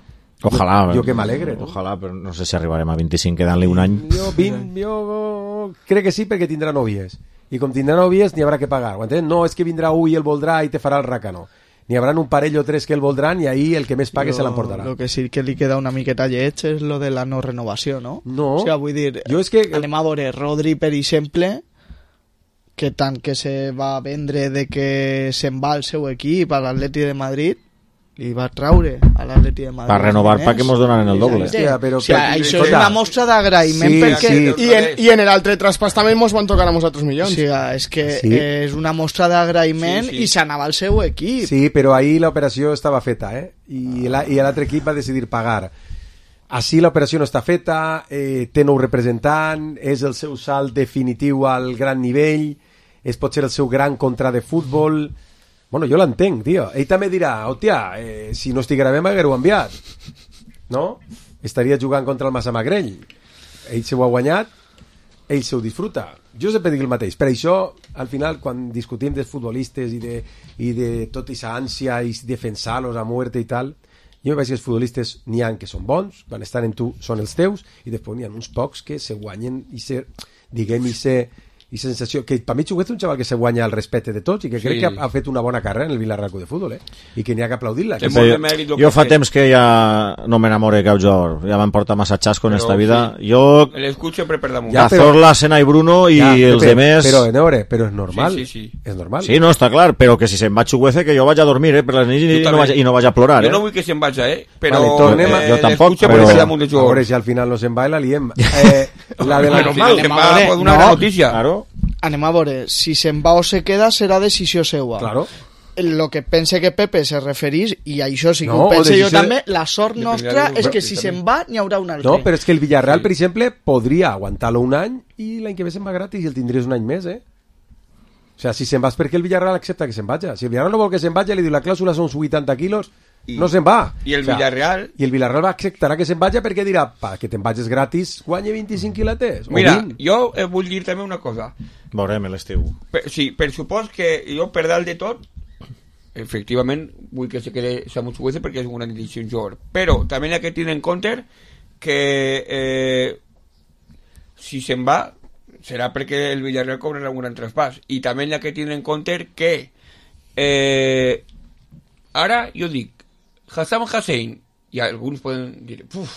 Ojalà, jo, jo que m'alegre. No? Ojalà, però no sé si arribarem a vint-i-cinc quedant-li un any. Jo, vint, jo crec que sí, perquè tindrà nòvies. I com tindrà nòvies, n'hi haurà que pagar. Ho entens? No és que vindrà un i el voldrà i te farà el racano. N'hi haurà un parell o tres que el voldran i ahí el que més pague Lo- se l'emportarà. Lo que sí que li queda una miqueta lleig és lo de la no renovació, no? No. O sigui, vull dir, Jo és que... anem a veure Rodri, per exemple, que tant que se va vendre de que se'n va al seu equip, a l'Atleti de Madrid, li va traure a l'Atleti de Madrid. Per renovar, pa que mos donaran el doble. Hòstia, però O sigui, que- això és escolta, una mostra d'agraïment sí, perquè... sí. I en, I en l'altre traspàs també mos van tocar a nosaltres O milions. sigui, és que Sí. és una mostra d'agraïment Sí, sí. i s'anava al seu equip. Sí, però ahir l'operació estava feta, eh? I la- i l'altre equip va decidir pagar. Així l'operació no està feta, eh, té nou representant, és el seu salt definitiu al gran nivell, és potser el seu gran contra de futbol... Bueno, jo l'entenc, tio. Ell també dirà, hòstia, eh, si no estiguera bé m'haguera enviat. No? Estaria jugant contra el Massamagrell. Ell se ho ha guanyat, ell se ho disfruta. Jo sempre dic el mateix. Per això, al final, quan discutim dels futbolistes i de, i de tot aquesta ànsia i defensar-los a muerte i tal, jo veig que els futbolistes n'hi ha que són bons, quan estan en tu són els teus, i després n'hi ha uns pocs que se guanyen i se, diguem, i se i sensació, que per mi Chukwueze és un xaval que se guanya el respecte de tots i que crec Sí. que ha, ha fet una bona carrera en el Villarreal Club de Futbol, eh? I que n'hi ha que aplaudir-la. Té Que molt Sí, de mèrit lo jo que fa té. temps que ja no m'enamore de cap jugador, ja m'han portat massa xasco en Però esta vida. sí. Jo, L'escut sempre per damunt. Ja, però- Cazorla, Sena i Bruno i Ja, els Pepe, demés... Però, a veure, però és normal. Sí, sí, sí. És normal. Sí, no, està clar, però que si se'n va Chukwueze que jo vaig a dormir, eh, per les nits i, Jo no també. vaig, i no vaig a plorar, Jo eh? no vull que se'n vagi, eh? Però Vale, tornem a- eh, jo tampoc, l'escut però- sempre per damunt de A veure jugadors. si al final no se'n va i la liem. Eh, la de la Al final se'n va veure, pues, una no, gran notícia. Claro. Anem a veure, si se'n va o se queda serà decisió seua. Claro. El que pense que Pepe se referís, i això sí que No, ho pense o jo decisió- també, la sort Dependrà nostra del és que govern, si també. se'n va n'hi haurà un altre. No, però és que el Villarreal, per exemple, podria aguantar-lo un any i l'any que ve se'n va gratis i el tindries un any més, eh? O sea, si se'n va és perquè el Villarreal accepta que se'n vagi. Si el Villarreal no vol que se'n vagi, li diu la clàusula són vuitanta quilos, I- no se'n va. I el O sea, Villarreal... I el Villarreal va acceptarà que se'n vagi perquè dirà, pa, que te'n vagis gratis, guanya vint-i-cinc quilates. o Mira, vint. jo eh, vull dir també una cosa. Veurem l'estiu. Per, sí, per supòs que jo per dalt de tot efectivament vull que se quede Samu Chukwueze perquè és un gran edició jugador, però també hi ha que tenir en compte que eh, si se'n va serà perquè el Villarreal cobrarà un gran traspàs, i també hi ha que tenir en compte que eh, ara jo dic Hassam Hussein, i alguns poden dir puf,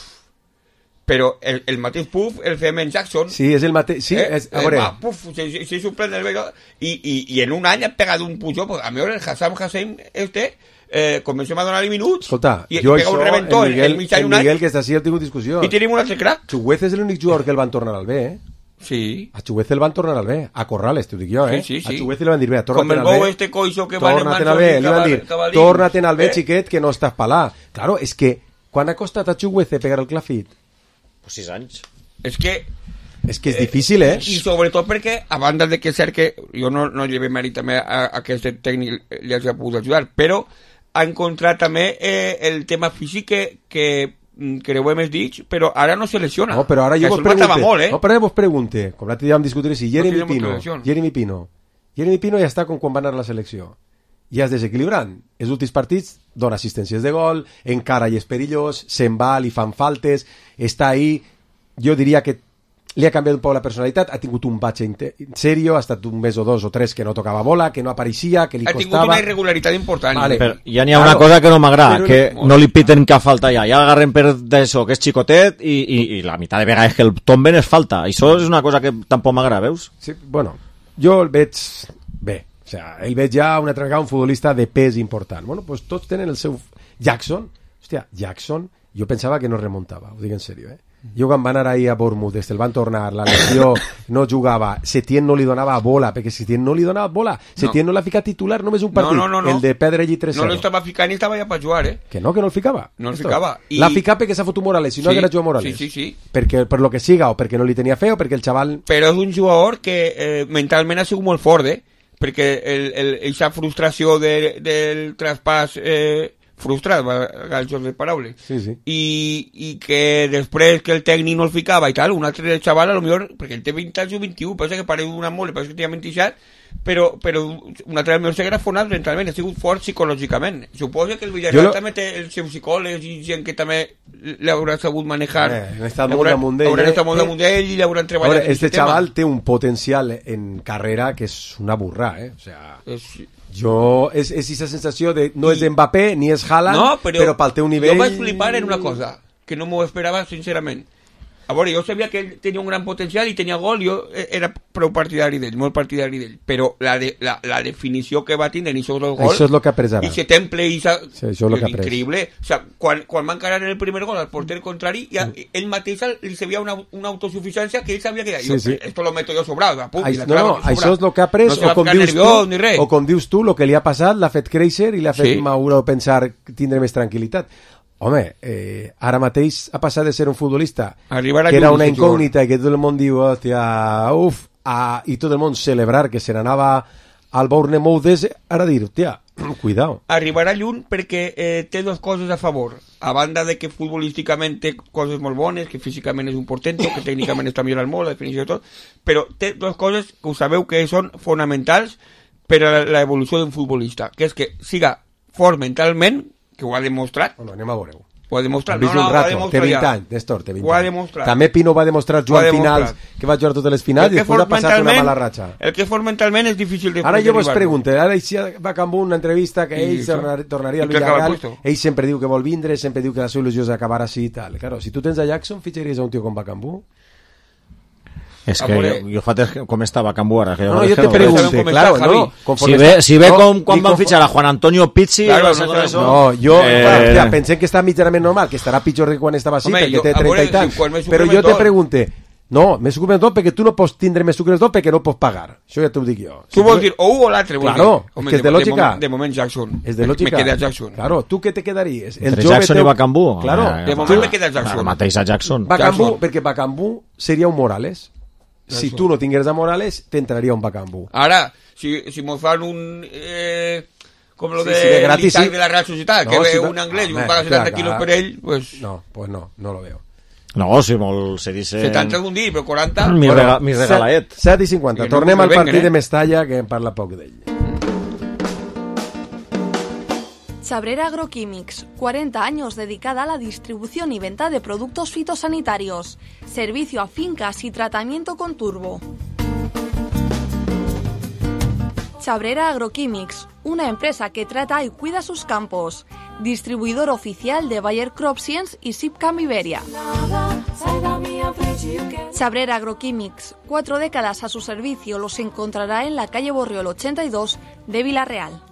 però el, el mateix Puf, el Femen Jackson, Sí, és el mateix... Sí, eh, és, a veure... eh, va, puf, se, se, se suplente el velo, y, y, y en un any ha pegat un pujó, pues, a mi el Hassam Hussein este eh, comencem a donar-li minuts Escolta, i, i jo pega un això, reventó el Miguel, en mig any el un any Miguel que està així, el tinc discussió. i tenim un altre crack. Chukwueze és l'únic jugador que el van tornar al B, eh? Sí. A Chukwueze el van tornar al B, a Corrales, t'ho dic jo, eh? Sí, sí, sí. A Chukwueze li van dir, bé, Com torna-te'n el al B. bou este coixo que va en Torna-te'n al B, li van dir, cabalín. torna-te'n al B, Eh? xiquet, que no estàs palà. Claro, és que, quan ha costat a Chukwueze pegar el clafit? Pues sis anys. És que És que és difícil, eh? i sobretot perquè, a banda de que és cert que jo no, no llevé mèrit també a, a que aquest tècnic li hagi pogut ajudar, però ha encontrat també eh, el tema físic que, que mm, creuem els dits, però ara no se lesiona. No, però ara Que jo això vos el matava pregunte, molt, eh? no, però ara vos pregunte, com l'altre dia vam discutir si Jeremy tenemos Pino, relación. Jeremy Pino, Jeremy Pino ja està com quan va anar a la selecció. i és desequilibrant. Els últims partits dona assistències de gol, encara i és perillós, se'n va, li fan faltes, està ahí. Jo diria que li ha canviat un poc la personalitat, ha tingut un batxe en sèrio, ha estat un mes o dos o tres que no tocava bola, que no apareixia, que li ha costava... Ha tingut una irregularitat important. Vale. Però ja n'hi ha una cosa que no m'agrada, però... que no li piten cap falta ja, ja agarren per d'això, que és xicotet, i, i, i la meitat de vegades que el tomben és falta. Això és una cosa que tampoc m'agrada, veus? Sí, bueno, jo el veig bé. O sea, ell veig ja una altra vegada un futbolista de pes important. Bueno, pues tots tenen el seu... Jackson, hòstia, Jackson, jo pensava que no remuntava, ho dic en sèrio, eh? Jo quan va anar ahir a Bournemouth, des del van tornar, la lesió, no jugava, Setién no li donava bola, perquè Setién no li donava bola, Setién no, no l'ha ficat titular només un partit, no, no, no, no. el de perdre allí tres zero. No l'estava ficant i estava ja per jugar, eh? Que no, que no el ficava. No el ficava. I... L'ha ficat perquè s'ha fotut Morales, si no sí, haguera jugat Morales. Sí, sí, sí. Perquè, per lo que siga, o perquè no li tenia fe, o perquè el xaval... Però és un jugador que eh, mentalment ha sigut molt fort, eh? Perquè el, el, eixa frustració de, del traspàs... Eh, frustrat, el joc de paraules, sí, sí. I, i que després que el tècnic no el ficava i tal, un altre xaval a lo millor, perquè ell té vint anys o vint-i-u, pensa que pareix una mole, pensa que tenia vint-i-set, però, però un altre millor s'haguera fonat mentalment, ha sigut fort psicològicament. Suposo que el Villarreal lo... també té els seus psicòlegs i gent que també l'haurà sabut manejar, eh, han estat molt damunt d'ell, hauran estat molt damunt d'ell i l'hauran treballat. Veure, este xaval té un potencial en carrera que és una burra, eh? O sea... És... Jo, és, és aquesta sensació de no és Mbappé ni és Haaland, no, però, però pel teu nivell... Jo vaig flipar en una cosa, que no m'ho esperava sincerament. A veure, jo sabia que ell tenia un gran potencial i tenia gol, jo era prou partidari d'ell, molt partidari d'ell, però la, de, la, la definició que va tindre en aquests dos gols... Això és el que ha pres ara. I se temple i sa... sí, això és el que ha pres. Increïble. O sea, quan, quan va encarar el primer gol al porter contrari, ja, mm. ell mateix li sabia una, una autosuficiència que ell sabia que... Sí, jo, sí. Esto lo meto yo sobrado. Pum, Ai, no, no, això és el que ha pres, no o, com dius nerviós, tu, ni res. o com dius tu, el que li ha passat l'ha fet créixer i l'ha fet sí. madurar o pensar tindre més tranquil·litat. Home, eh, ara mateix ha passat de ser un futbolista Arribar que era una incògnita i que tot el món diu, hòstia, uf, a, i tot el món celebrar que se n'anava al Bournemouth, ara dir, hòstia, cuidao. Arribarà lluny perquè eh, té dues coses a favor, a banda de que futbolísticament té coses molt bones, que físicament és un portento, que tècnicament està millorant molt, la definició de tot, però té dues coses que ho sabeu que són fonamentals per a l'evolució d'un futbolista, que és que siga fort mentalment, que ho ha demostrat. Bueno, anem a veure-ho. Ho ha demostrat. No, no, un rato, té vint anys, Néstor, té vint ho ha anys. demostrat. També Pino va demostrar jugant finals, que va jugar totes les finals i després ha passat una mala ratxa. El que fort mentalment és difícil de... Ara jo vos pregunto, ara si va Cambú una entrevista que ell tornar, tornaria al Villarreal, ell sempre diu que vol vindre, sempre diu que la seva il·lusió és acabar així i tal. Claro, si tu tens a Jackson, fitxaries a un tio com va Cambú? És que jo, jo fa temps com estava a Cambu ara. Que no, no, jo te pregunto, claro, no, si ve, si ve no, com quan van fitxar a Juan Antonio Pizzi, claro, no, no, no, no, jo eh... clar, clar, pensem que està mitjanament normal, que estarà pitjor que quan estava així, perquè té trenta i tants, però jo te pregunte, no, més sucre tot perquè tu no pots tindre més sucre tot perquè no pots pagar, això ja t'ho dic jo. Tu vols dir o un o l'altre, claro, és que és de lògica. De moment Jackson, és de lògica. Me queda Jackson. Claro, tu què te quedaries? Entre Jackson i Bakambu? Claro, de moment me queda Jackson. El mateix a Jackson. Bakambu, perquè Bakambu seria un Morales. Si tu no tingueres a Morales, t'entraria un Bakambu. Ara, si, si mos fan un... Eh, com lo sí, de, sí, de gratis, sí. de la Real Societat, no, que si ve un anglès i un paga setanta quilos per ell, pues... No, pues no, no lo veo. No, si molt se dice... setanta algun dia, però quaranta... Mi, bueno, rega, mi regalaet. set i cinquanta. Tornem no al partit eh? de Mestalla, que en parla poc d'ell. Chabrera Agroquímics, cuarenta años dedicada a la distribución y venta de productos fitosanitarios, servicio a fincas y tratamiento con turbo. Chabrera Agroquímics, una empresa que trata y cuida sus campos, distribuidor oficial de Bayer Crop Science y Sipcam Iberia. Chabrera Agroquímics, cuatro décadas a su servicio, los encontrará en la calle Borriol ochenta y dos de Vila-real.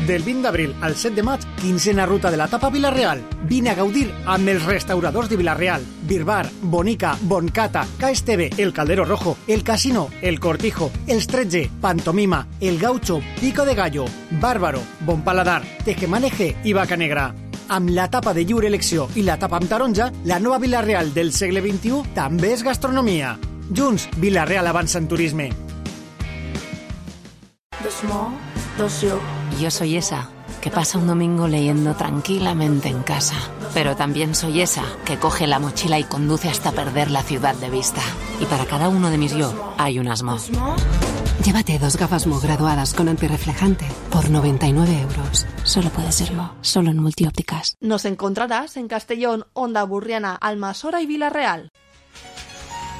Del vint d'abril al set de maig, quinzena ruta de la tapa Vila-real. Vine a gaudir amb els restauradors de Vila-real. Birbar, Bonica, Boncata, K S T V, El Caldero Rojo, El Casino, El Cortijo, Els tretze, Pantomima, El Gaucho, Pico de Gallo, Bàrbaro, Bon Paladar, Tejemaneje i Vaca Negra. Amb la tapa de lliure elecció i la tapa amb taronja, la nova Vila-real del segle vint-i-u també és gastronomia. Junts, Vila-real avança en turisme. Dos mo, dos yo. Yo soy esa que pasa un domingo leyendo tranquilamente en casa. Pero también soy esa que coge la mochila y conduce hasta perder la ciudad de vista. Y para cada uno de mis yo hay un asmo. Llévate dos gafas Mo graduadas con antirreflejante por noventa y nueve euros. Solo puede ser Mo, solo en Multiópticas. Nos encontrarás en Castellón, Onda Burriana, Almasora y Villarreal.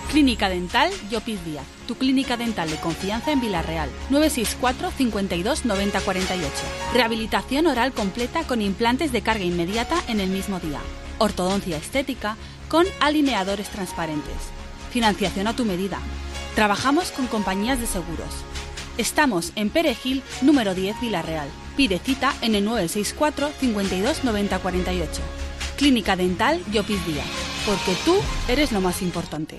Clínica Dental Llopis Díaz, tu clínica dental de confianza en Villarreal. nueve seis cuatro, cinco dos, nueve cero cuatro ocho. Rehabilitación oral completa con implantes de carga inmediata en el mismo día. Ortodoncia estética con alineadores transparentes. Financiación a tu medida. Trabajamos con compañías de seguros. Estamos en Perejil, número diez, Villarreal. Pide cita en el nueve seis cuatro, cinco dos, nueve cero cuatro ocho. Clínica Dental Llopis Díaz, porque tú eres lo más importante.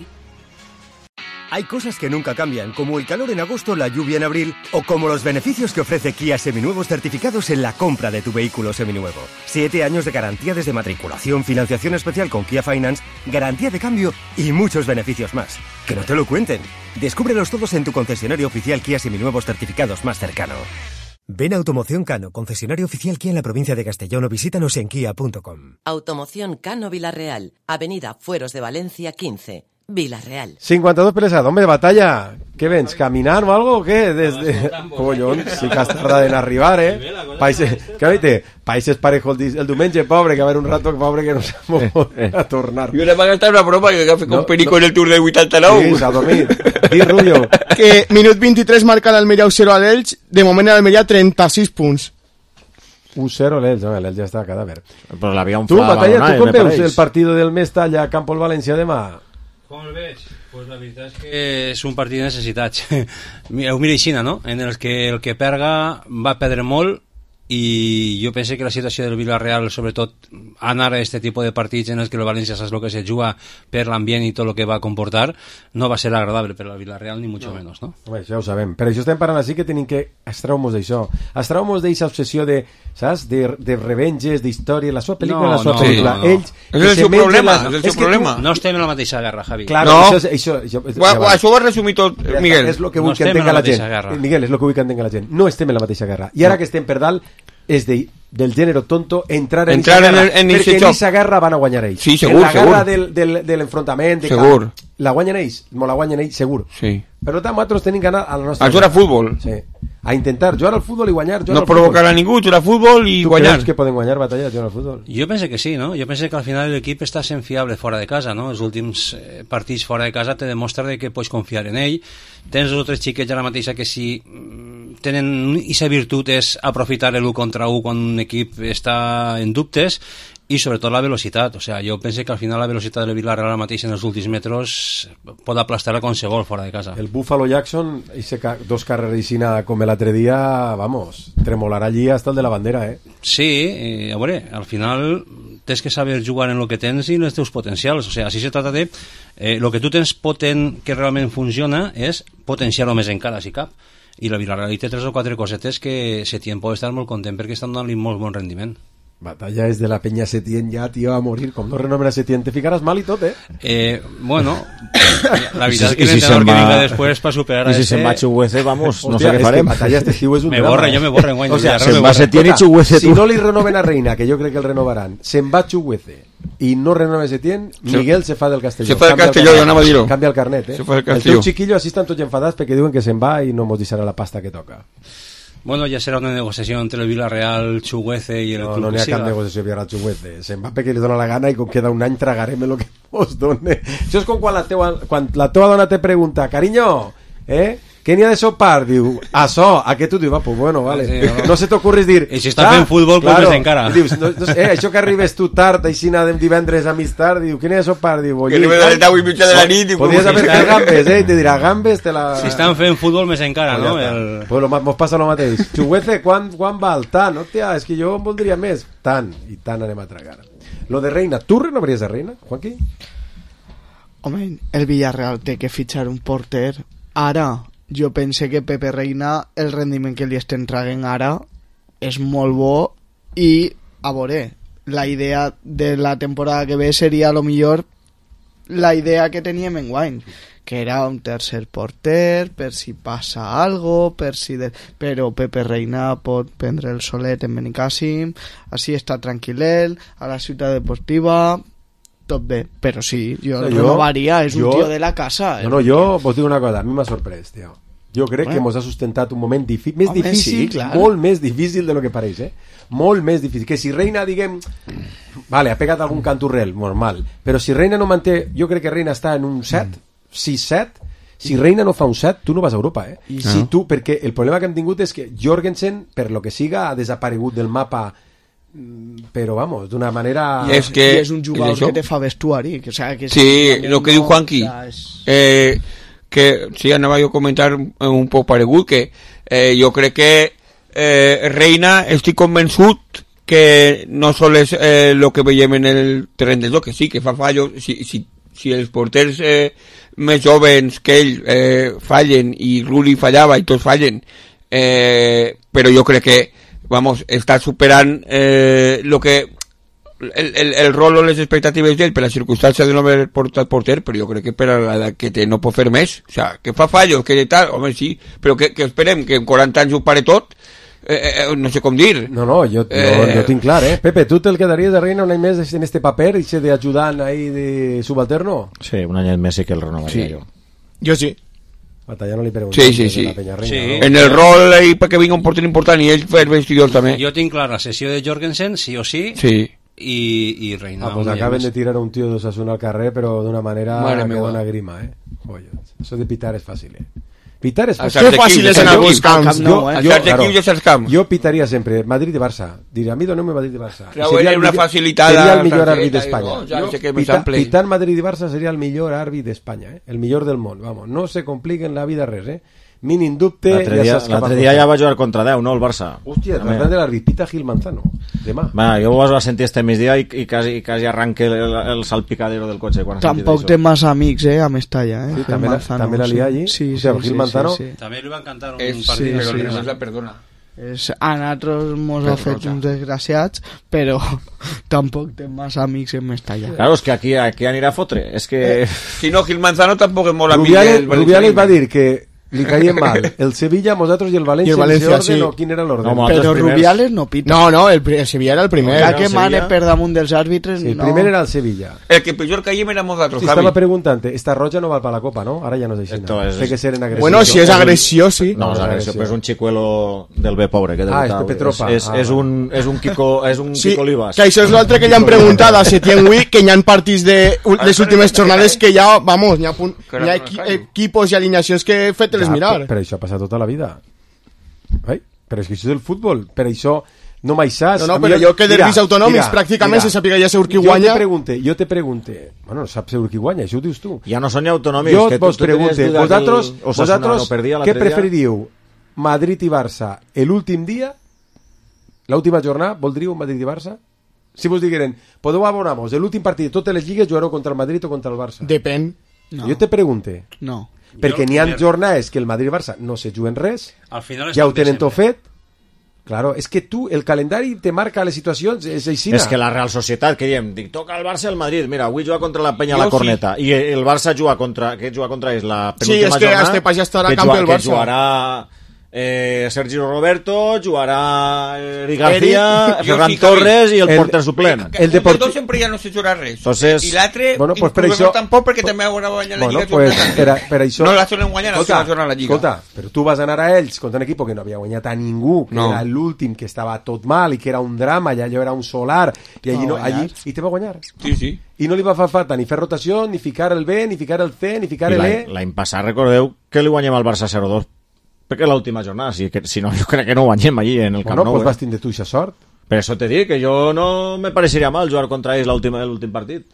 Hay cosas que nunca cambian, como el calor en agosto, la lluvia en abril, o como los beneficios que ofrece Kia Seminuevos certificados en la compra de tu vehículo seminuevo. Siete años de garantía desde matriculación, financiación especial con Kia Finance, garantía de cambio y muchos beneficios más. Que no te lo cuenten. Descúbrelos todos en tu concesionario oficial Kia Seminuevos certificados más cercano. Ven a Automoción Cano, concesionario oficial Kia en la provincia de Castellón, o visítanos en kia punto com. Automoción Cano Villarreal, Avenida Fueros de Valencia quince, Villarreal. cincuenta-dos pelesat, hombre, de batalla. Què vens, caminant o algo o què? Desde... Collons, sí que has tardat en arribar, eh? Países, què vete? Países parejos el, el diumenge, pobre, que va haver un rato pobre que no s'ha a tornar. I una va gastar una broma que va fer con no, Perico no. En el Tour del vuitanta-nou. Sí, s'ha dormit. Di, Rullo. Que minut vint-i-tres marca l'Almeria u zero a l'Elx, de moment l'Almeria trenta-sis punts. u zero l'Elx, no, l'Elx ja està a cadàver. Però l'havia un tu, Batalla, tu com veus el partido del Mestalla a Campo el València demà? Com el veig? Pues la veritat és que és un partit de necessitats. Ho mira així, no? En el que el que perga va perdre molt, i jo penso que la situació del Villarreal, sobretot anar a aquest tipus de partits en els que el València saps el que se juga per l'ambient i tot el que va comportar, no va ser agradable per al Villarreal ni mucho no. menos, no? Home, això ho sabem. Per això estem parlant així que tenim que extraure-nos d'això. Extraure-nos d'aquesta obsessió de, saps, de, de revenges, d'història, la seva pel·lícula, no, la seva no, pel·lícula. No, no. Ells... És el seu problema, és el seu problema. No estem en la mateixa guerra, Javi. Claro, no. Això, això, això, això, ja això ho has resumit tot, Miguel. És el que vull no que entenga la, la gent. Guerra. Miguel, és el que vull que entenga la gent. No estem en la mateixa guerra. I ara no. que estem per dalt, és de, del gènere tonto entrar en entrar esa guerra, en, en perquè en aquesta guerra van a guanyar ells. Sí, segur, en la segur. guerra del, del, de l'enfrontament, de segur. Camp, la guanyen ells, mo la guanyen ells, segur. Sí. Per tant, nosaltres tenim que anar a la nostra... A jugar a futbol. Sí. A intentar jugar al futbol i guanyar. No provocar a ningú, jugar a futbol i tu guanyar. Tu creus que poden guanyar batalles jugant al futbol? Jo penso que sí, no? Jo penso que al final l'equip està sent fiable fora de casa, no? Els últims eh, partits fora de casa te demostren de que pots confiar en ell. Tens els altres xiquets ara mateixa que si tenen aquesta virtut és aprofitar l'u contra u quan un equip està en dubtes, i sobretot la velocitat. O sea, jo penso que al final la velocitat del Villarreal ara mateix en els últims metres pot aplastar a qualsevol fora de casa. El Buffalo Jackson, ese ca dos carrericina com l'altre dia, vamos, tremolarà allí hasta el de la bandera, eh? Sí, eh, a veure, al final tens que saber jugar en lo que tens i en els teus potencials. O sea, així se trata de... Eh, lo que tu tens potent que realment funciona és potenciar-ho més encara, si cap. I la Villarreal té tres o quatre cosetes que Setién pot estar molt content perquè estan donant-li molt bon rendiment. Batalla és de la penya Setién ja, tio, a morir. Com no renomen a Setién, te ficaràs mal i tot, eh? Eh, bueno, la veritat és que l'entrenador que vinga després per superar a ese... I si se'n va Chuguece, vamos, no sé què farem. Batalla este estiu és un me drama. Borra, jo me borra en guany. O sea, se'n va Setién i Chuguece. Si no li renoven a Reina, que jo crec que el renovaran, se'n va Chuguece i no renova Setién, Miguel se fa del Castelló. Se fa del Castelló, jo anava a dir-ho. Canvia el carnet, eh? El teu xiquillo així estan tots enfadats perquè diuen que se'n va i no mos deixarà la pasta que toca. Bueno, ya será una negociación entre el Villarreal, Chuguece y el no, club. No, no hi ha cap negociació Villarreal Chuguece. Se'n va perquè li dona la gana i com queda un any tragarem el que mos done. Això és com quan la teua, quan la teua dona te pregunta, cariño, eh? ¿Qué n'hi ha de sopar? Diu, açò, a què tu dius? Va, pues bueno, vale. Sí, no. no se t'ocorris dir... I si està fent futbol, claro, pues encara. Dius, no, no, eh, això que arribes tu tard, aixina de divendres a mig tard, diu, què n'hi ha de sopar? Diu, que arribes a les deu i mitja de la nit. Podries haver fet gambes, eh? I te dirà, gambes, te la... Si estan fent futbol, més encara, no? El... Pues lo, mos passa el mateix. Xuguece, quan, quan val? Tant, hòstia, és que jo en voldria més. Tant, i tant anem a tragar. Lo de Reina, tu renovaries a Reina, Joaquí? Home, el Villarreal té que fitxar un porter ara. Jo pense que Pepe Reina, el rendiment que li estem traguent ara és molt bo i, a veure, la idea de la temporada que ve seria a lo millor la idea que teníem en guany, que era un tercer porter per si passa algo, per si de... però Pepe Reina pot prendre el solet en Benicàssim, així està tranquil·let a la ciutat deportiva, tot bé, però sí, jo no, renovaria, és jo, un tio de la casa. No, no, jo vos dic una cosa, a mi m'ha sorprès, tio. Jo crec Bueno. que ens ha sustentat un moment difí- més Home, difícil, sí, clar. molt més difícil de lo que pareix, eh? Molt més difícil. Que si Reina, diguem, vale, ha pegat algun canturrel, normal, però si Reina no manté, jo crec que Reina està en un set, sis set, si Reina no fa un set, tu no vas a Europa, eh? I Si no. tu, perquè el problema que hem tingut és que Jorgensen, per lo que siga, ha desaparegut del mapa, mm, però, vamos, d'una manera... I és que- I és un jugador és això? que te fa vestuari. Que, o sea, que Sí, si- lo que diu Juanqui, Ja és- eh, que sí, anava jo a comentar un poc paregut, que eh, jo crec que eh, Reina, estic convençut que no sol és eh, lo que veiem en el terreny del joc, que sí, que fa fallos, si, si, si els porters eh, més joves que ell eh, fallen, i Rulli fallava i tots fallen, eh, però jo crec que, vamos, està superant eh, lo que el, el, el rol o les expectatives d'ell per la circumstància de no haver portat porter, però jo crec que per a l'edat que té no pot fer més, o sea, que fa fallos, que tal, home sí, però que, que esperem que en quaranta anys ho pare tot, eh, eh, no sé com dir. No, no, jo, jo, Eh, jo tinc clar, eh? Pepe, tu te'l quedaries de Reina un any més en este paper, i de ajudant ahí de subalterno? Sí, un any més sí que el renovaria Sí. jo. Jo sí. Batalla no li pregunto. Sí, sí, sí. Reina, Sí. no? En el rol ahí perquè vinga un porter important i ell fer vestidor també. Jo tinc clar la sessió de Jorgensen, sí o sí, Sí. i, i Reina. Ah, pues un any acaben més. de tirar a un tío de Osasuna al carrer, però d'una manera Mare que meva. dona grima, eh? Joder, eso de pitar és fàcil, eh? Pitar és A fàcil. certs Que fàcil equips, és anar a a certs buscar equips. camps, Jo, A jo, certs claro, equips i a certs camps. jo pitaria sempre Madrid i Barça. Diria, a mi doneu-me Madrid i Barça. I Treu seria el una millor- facilitada seria el millor targeta àrbit i d'Espanya. no, ja Jo, sé que me pita- sample. pitant Madrid i Barça seria el millor àrbit d'Espanya, eh? El millor del món, vamos. No se compliquen en la vida res, eh? Mínim dubte, L'altre ja dia, saps cap a l'altre dia cosa. ja va jugar contra deu, no, el Barça. Hòstia, També. parlant de l'àrbit, pita Gil Manzano. Demà. Va, jo vos va sentir este migdia i, i, quasi, i quasi arranque el, el salpicadero del cotxe quan ha sentit Tampoc això. té massa amics, eh, a Mestalla, eh? Sí, Gil també la- Manzano, també la sí. lia allí. Sí, O sí, sea, sí, Gil sí, Manzano- sí. També li van cantar un És, partit. sí, però sí, no sí. la perdona. És, a nosaltres mos ha fet uns desgraciats, però tampoc té massa amics en Mestalla. Claro, és que aquí, aquí anirà a fotre. És que... Si no, Gil Manzano tampoc és molt amic Rubiales, del valencianisme. Rubiales va dir que li caien mal el Sevilla, nosaltres i el València. I el València, en ese orden, sí. o quin era l'ordre? No, mo- Però altres primers. Rubiales no pita. No, no, el, pri- el Sevilla era el primer. Ja era que el mane Sevilla. per damunt dels àrbitres, Sí, el no. primer era el Sevilla. El que pitjor caiem érem nosaltres, Sí, Javi. estava preguntant, esta roja no val per la copa, no? Ara ja no és així. Esto no? es- Té que ser en agressió. Bueno, si és agressió, sí. No, No, és és agressió, agressió. però és un xicuelo del bé pobre que Ah, és debutava. Pepe Tropa. És, és, Ah, és, un, és un Kiko, és un Sí, Kiko Olivas. que això és l'altre que ja han preguntat a Setién Wii, que hi ha partits de les últimes jornades que ja, vamos, hi ha, punt, hi ha equi equipos i alineacions que he fet-les Ja, mirar. però, però això ha passat tota la vida. Ai? Però és que això és el futbol. Per això no m'hi saps. No, no, A mi- però jo que derbis Mira, autonòmics mira, pràcticament mira. se sàpiga ja segur qui Jo guanya. te pregunte, jo te pregunte. Bueno, no saps segur qui guanya, això ho dius tu. Ja no són ni autonòmics. Jo que tu- vos tu tenies pregunte, duda que vosaltres, el Osasuna vosaltres no perdia què l'altre dia? preferiríeu? Madrid i Barça l'últim dia? L'última jornada? Voldríeu Madrid i Barça? Si vos digueren, podeu abonar-vos, l'últim partit de totes les lligues jugareu contra el Madrid o contra el Barça? Depèn. No. Jo te pregunte. No. Perquè Jo, n'hi ha primer- jornades que el Madrid i el Barça no se juguen res, Al final ja ho estan tenen bé tot sempre. fet. Claro, és que tu, el calendari te marca les situacions, és així. És que la Real Societat, que diem, dic, toca el Barça i el Madrid. Mira, avui juga contra la Penya a la Jo sí. Corneta. I el Barça juga contra... Què juga contra ells? La Sí, penúltima és que jornada, Estepa ja estarà que a camp juga- del que Barça. jugarà eh, Sergio Roberto, jugarà Eric García, Eric. Jo Ferran sí, Javi. Torres i el, El- porter suplent. El El Deporti- dels dos sempre ja no se jugarà res. Entonces- I l'altre, Bueno, pues per inclús això- tampoc, perquè també haurà guanyat la Bueno, Lliga. pues, jornada. per, per això... No la solen guanyar, la Escolta, solen guanyar la Lliga. Escolta, però tu vas anar a ells contra un equip que no havia guanyat a ningú, que No. era l'últim, que estava tot mal i que era un drama, i allò era un solar, i allí, no, Va allí guanyar. i te va guanyar. Sí, sí. I no li va fer falta ni fer rotació, ni ficar el B, ni ficar el C, ni ficar I el l'any E. l'any passat recordeu que li guanyem al Barça zero dos perquè l'última jornada, si, que, si no jo crec que no guanyem allí en el Camp Bueno, Nou. pues eh? vas tindre tu aquesta sort. Per això te dic que jo no me pareixeria mal jugar contra ells l'últim l'últim partit.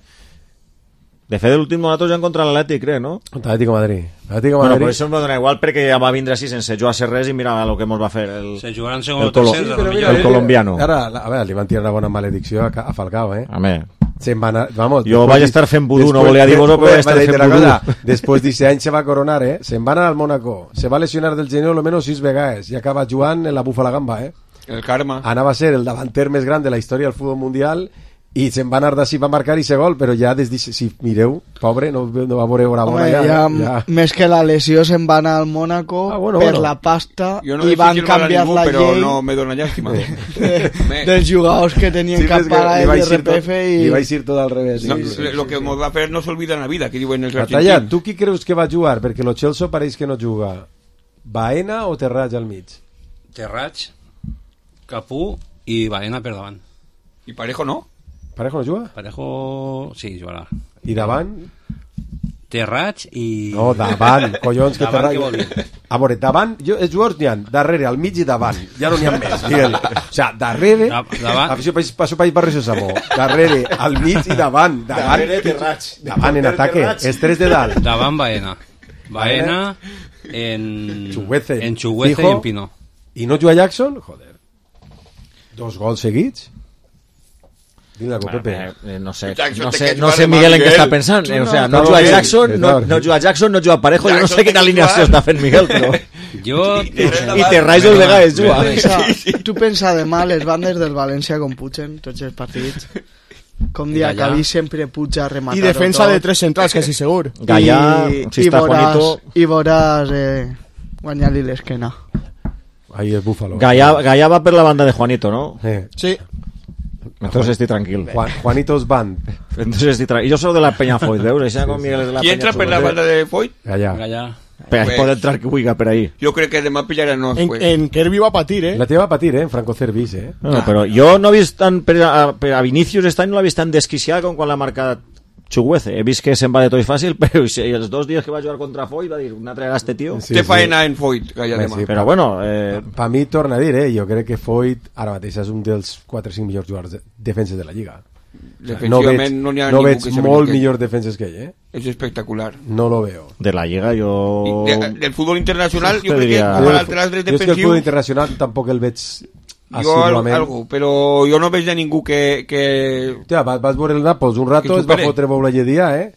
De fet, l'últim nosaltres ja contra l'Atlètic, crec, no? Contra l'Atlético de Madrid. L'Atlético de Bueno, Madrid. però això em va donar igual perquè ja va vindre així sense jugar a ser res i mira el que ens va fer el, Se jugaran segon el, o colo tercer, Sí, de però la mira, el eh, colombiano. Ara, a veure, li van tirar una bona maledicció a, a Falcao, eh? A mi, Se'n va anar, vamos, Jo después vaig di- estar fent vudú, no después- volia dir-vos-ho, però vaig Bé, estar vaig fent dir una vudú. cosa, Després d'aquest any se va coronar, eh? Se'n va anar al Mónaco, se va lesionar del genou almenys sis vegades i acaba jugant en la Búfala Gamba, eh? El karma. Anava a ser el davanter més gran de la història del futbol mundial i se'n va anar d'ací, va marcar i se gol, però ja des de, si mireu, pobre, no, no va veure una bona Home, ja, ja, ja. més que la lesió se'n va anar al Mónaco Ah, bueno, per bueno. la pasta Jo no i desitjo van el mal a canviar ningú, la però llei no me dona llàstima. de, Me- dels jugadors que tenien Sí, cap és que paga li de vaig dir R P F tot- i... li vaig dir tot al revés. No, sí, sí, lo sí, que sí. mos va fer no s'olvida en la vida, que diuen els Batalla, argentins. tu qui creus que va jugar? Perquè lo Chelsea pareix que no juga. Baena o Terrats al mig? Terrats, Capú i Baena per davant. I Parejo no? Parejo no juga? Parejo sí, jugarà. I davant? Terrats i... No, davant, collons, que davant, Terrats... què vol dir? A veure, davant, jo, els jugadors n'hi ha darrere, al mig i davant, ja no n'hi ha més. Digue'l. O sigui, darrere, Da- davant. afició país, passo país barri Samó, darrere, al mig i davant, davant, Darrere Terrats. davant en ataque, Terrats. els tres de dalt. Davant Baena. Baena en... Chuguece, En Chuguece Fijo. i en Pino. I no juga Jackson? Joder. Dos gols seguits? Dime algo, Bueno, Pepe. eh, no sé, Jackson no te sé, quedas no mal sé de Miguel en què Miguel. està pensant. Eh, o sea, no No, juga no, Jackson, no, no, no. no juga Jackson, no juga Parejo. Jo no Jackson sé quina té que alineació jugar. està fent Miguel, però... Jo... I Terrats el vegades juga. Pensa, tu pensa demà les bandes del València com pugen tots els partits. Com dia Gallà. que sempre puja a rematar I defensa de tres centrals, quasi segur. Gallà, I, si i està veuràs, Juanito... i veuràs eh, guanyar-li l'esquena. Ahí el Búfalo. Gallà, Gallà va per la banda de Juanito, ¿no? Eh. Sí. Entonces estoy tranquil. Juan, Juanitos Band. Entonces estoy tranquil. Yo soy de la Peña Foyt, ¿veus? Això com Miguel és de la Qui Peña entra per Foyt. la banda de Foyt? Allà. Gallà. Però Pues- pot entrar que vulgui per ahí. Jo crec que demà pillarà no. En, Pues. en Kirby va patir, eh? La teva va patir, eh? En Franco Cervis, eh? No, però jo no he vist tan... Per a, per a Vinicius aquest any no l'ha vist tan desquiciat com quan l'ha marcat Chuguece. He vist que se'n va de tot fàcil, però i els dos dies que va jugar contra Foyt va dir una trega a este tio. Sí, Té sí. faena en Foyt, Gallà Sí, demà. sí. Però bueno, eh, Per mi, torna a dir, eh? Jo crec que Foyt ara mateix és un dels quatre o cinc millors jugadors de defenses de la Lliga. No Defensivament veig, no n'hi ha no ningú veig que se molt brinque. millors defenses que ell, eh? És espectacular. No lo veo. de la Lliga jo... I de, del futbol internacional, jo Te crec que diria- com a l'altre Jo és que el defensiu, futbol internacional tampoc el veig jo al, assiduament. algo, però jo no veig de ningú que... que... Hòstia, vas, vas veure el Nàpols un Que rato, es va supere. fotre Boula Lledia, eh?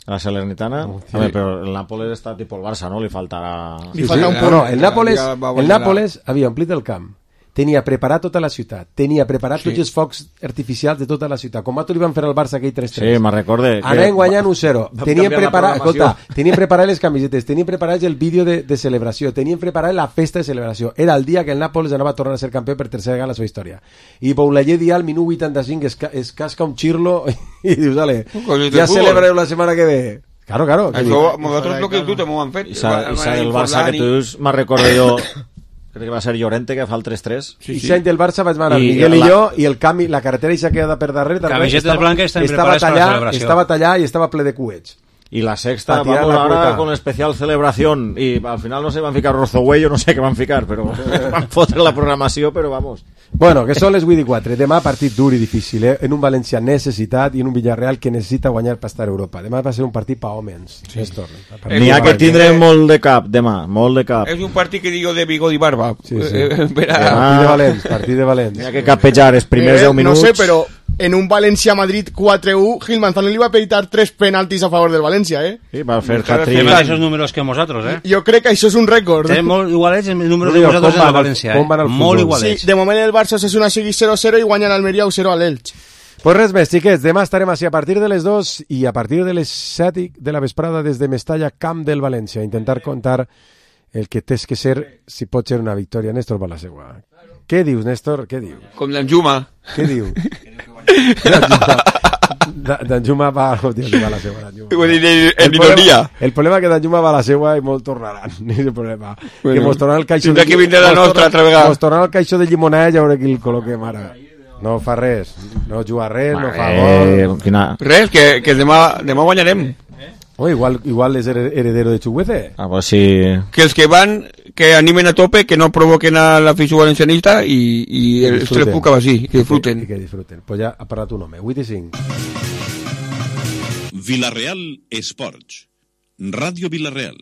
La Salernitana, sí. a ver, pero el Nápoles está tipo el Barça, ¿no? Le faltarà... Li falta un no, punt. no, el Nàpoles, Ja va el guanyar la- Nàpoles havia omplit el camp, tenia preparat tota la ciutat, tenia preparat Sí. tots els focs artificials de tota la ciutat, com tu li van fer al Barça aquell tres tres. Sí, me'n recorde. Anaven guanyant un zero. va Tenien canviar la preparat, programació. escolta, tenien preparat les camisetes, tenien preparat el vídeo de, de celebració, tenien preparat la festa de celebració. Era el dia que el Nàpoles anava a tornar a ser campió per tercera vegada en la seva història. I Boulaye dia al minut vuitanta-cinc es, ca es casca un xirlo i dius, dale, Coses de ja futbol. celebrareu la setmana que ve. Claro, claro. que Això, dic, nosaltres el que tu també ho han fet. I sa, i sa del Barça que tu dius, me'n recordo jo, crec que va ser Llorente que fa el tres tres. I sí. del Barça vaig anar I Miguel i la- jo i el canvi, la carretera i s'ha quedat per darrere també Camisetes estava- blanques estan estava preparades per la tallat, celebració. estava tallat i estava ple de cuets. Y la sexta, Pa tirar vamos la ahora cueta. con especial celebración. Y al final no se van a ficar Rozohuello, no sé qué van a ficar, pero van fotre la programació, però vamos. Bueno, que són les vuit i quatre. Demà partit dur i difícil, eh? En un València necessitat i en un Villarreal que necessita guanyar per estar a Europa. Demà va ser un partit pa homes. Sí. N'hi ha que tindre molt de cap, demà, molt de cap. És un partit que digo de bigot i barba. Sí, sí. Eh, per a- Partit de valents, partit de valents. N'hi ha que capejar els primers Eh, deu minuts. No sé, però en un València-Madrid quatre u, Gil Manzano li va peitar tres penaltis a favor del València, eh? Sí, va fer Té hat-trick. mateixos números que nosaltres, eh? Jo crec que això és un rècord. Té molt igualets els números No de digo, nosaltres com en el van al- València, com van eh? al Molt futbol. igualets. Sí, de moment el Barça és una seguir zero zero i guanya l'Almeria u zero a l'Elx. Pues res més, xiquets, demà estarem així a partir de les dos i a partir de les set de la vesprada des de Mestalla, camp del València, intentar contar el que té que ser, si pot ser una victòria. Néstor Balasegua. Què dius, Néstor? Què dius? Com d'Anjuma. Què diu? D'Anjuma va... Hòstia, que va la seua, d'Anjuma. Vull dir, en El problema, ironia. el problema que d'Anjuma va a la seua i molt tornaran. És el problema. Bueno, que mos tornaran el caixó tindrà que vindre la mos nostra torna- altra vegada. Mos tornaran el caixó de llimonada i a veure qui el col·loquem ara. No fa res. No juga res, no fa Eh, gol. quina... Res, que, que demà, demà guanyarem. Oh, igual, igual és her- heredero de Chuguece. Ah, pues sí. Que els que van, que animen a tope, que no provoquen a l'afició valencianista i, i els Disfruten. tres puc així, que disfruten. I que disfruten. Pues ja ha parlat un home. vuit i cinc. Villarreal Esports. Ràdio Villarreal.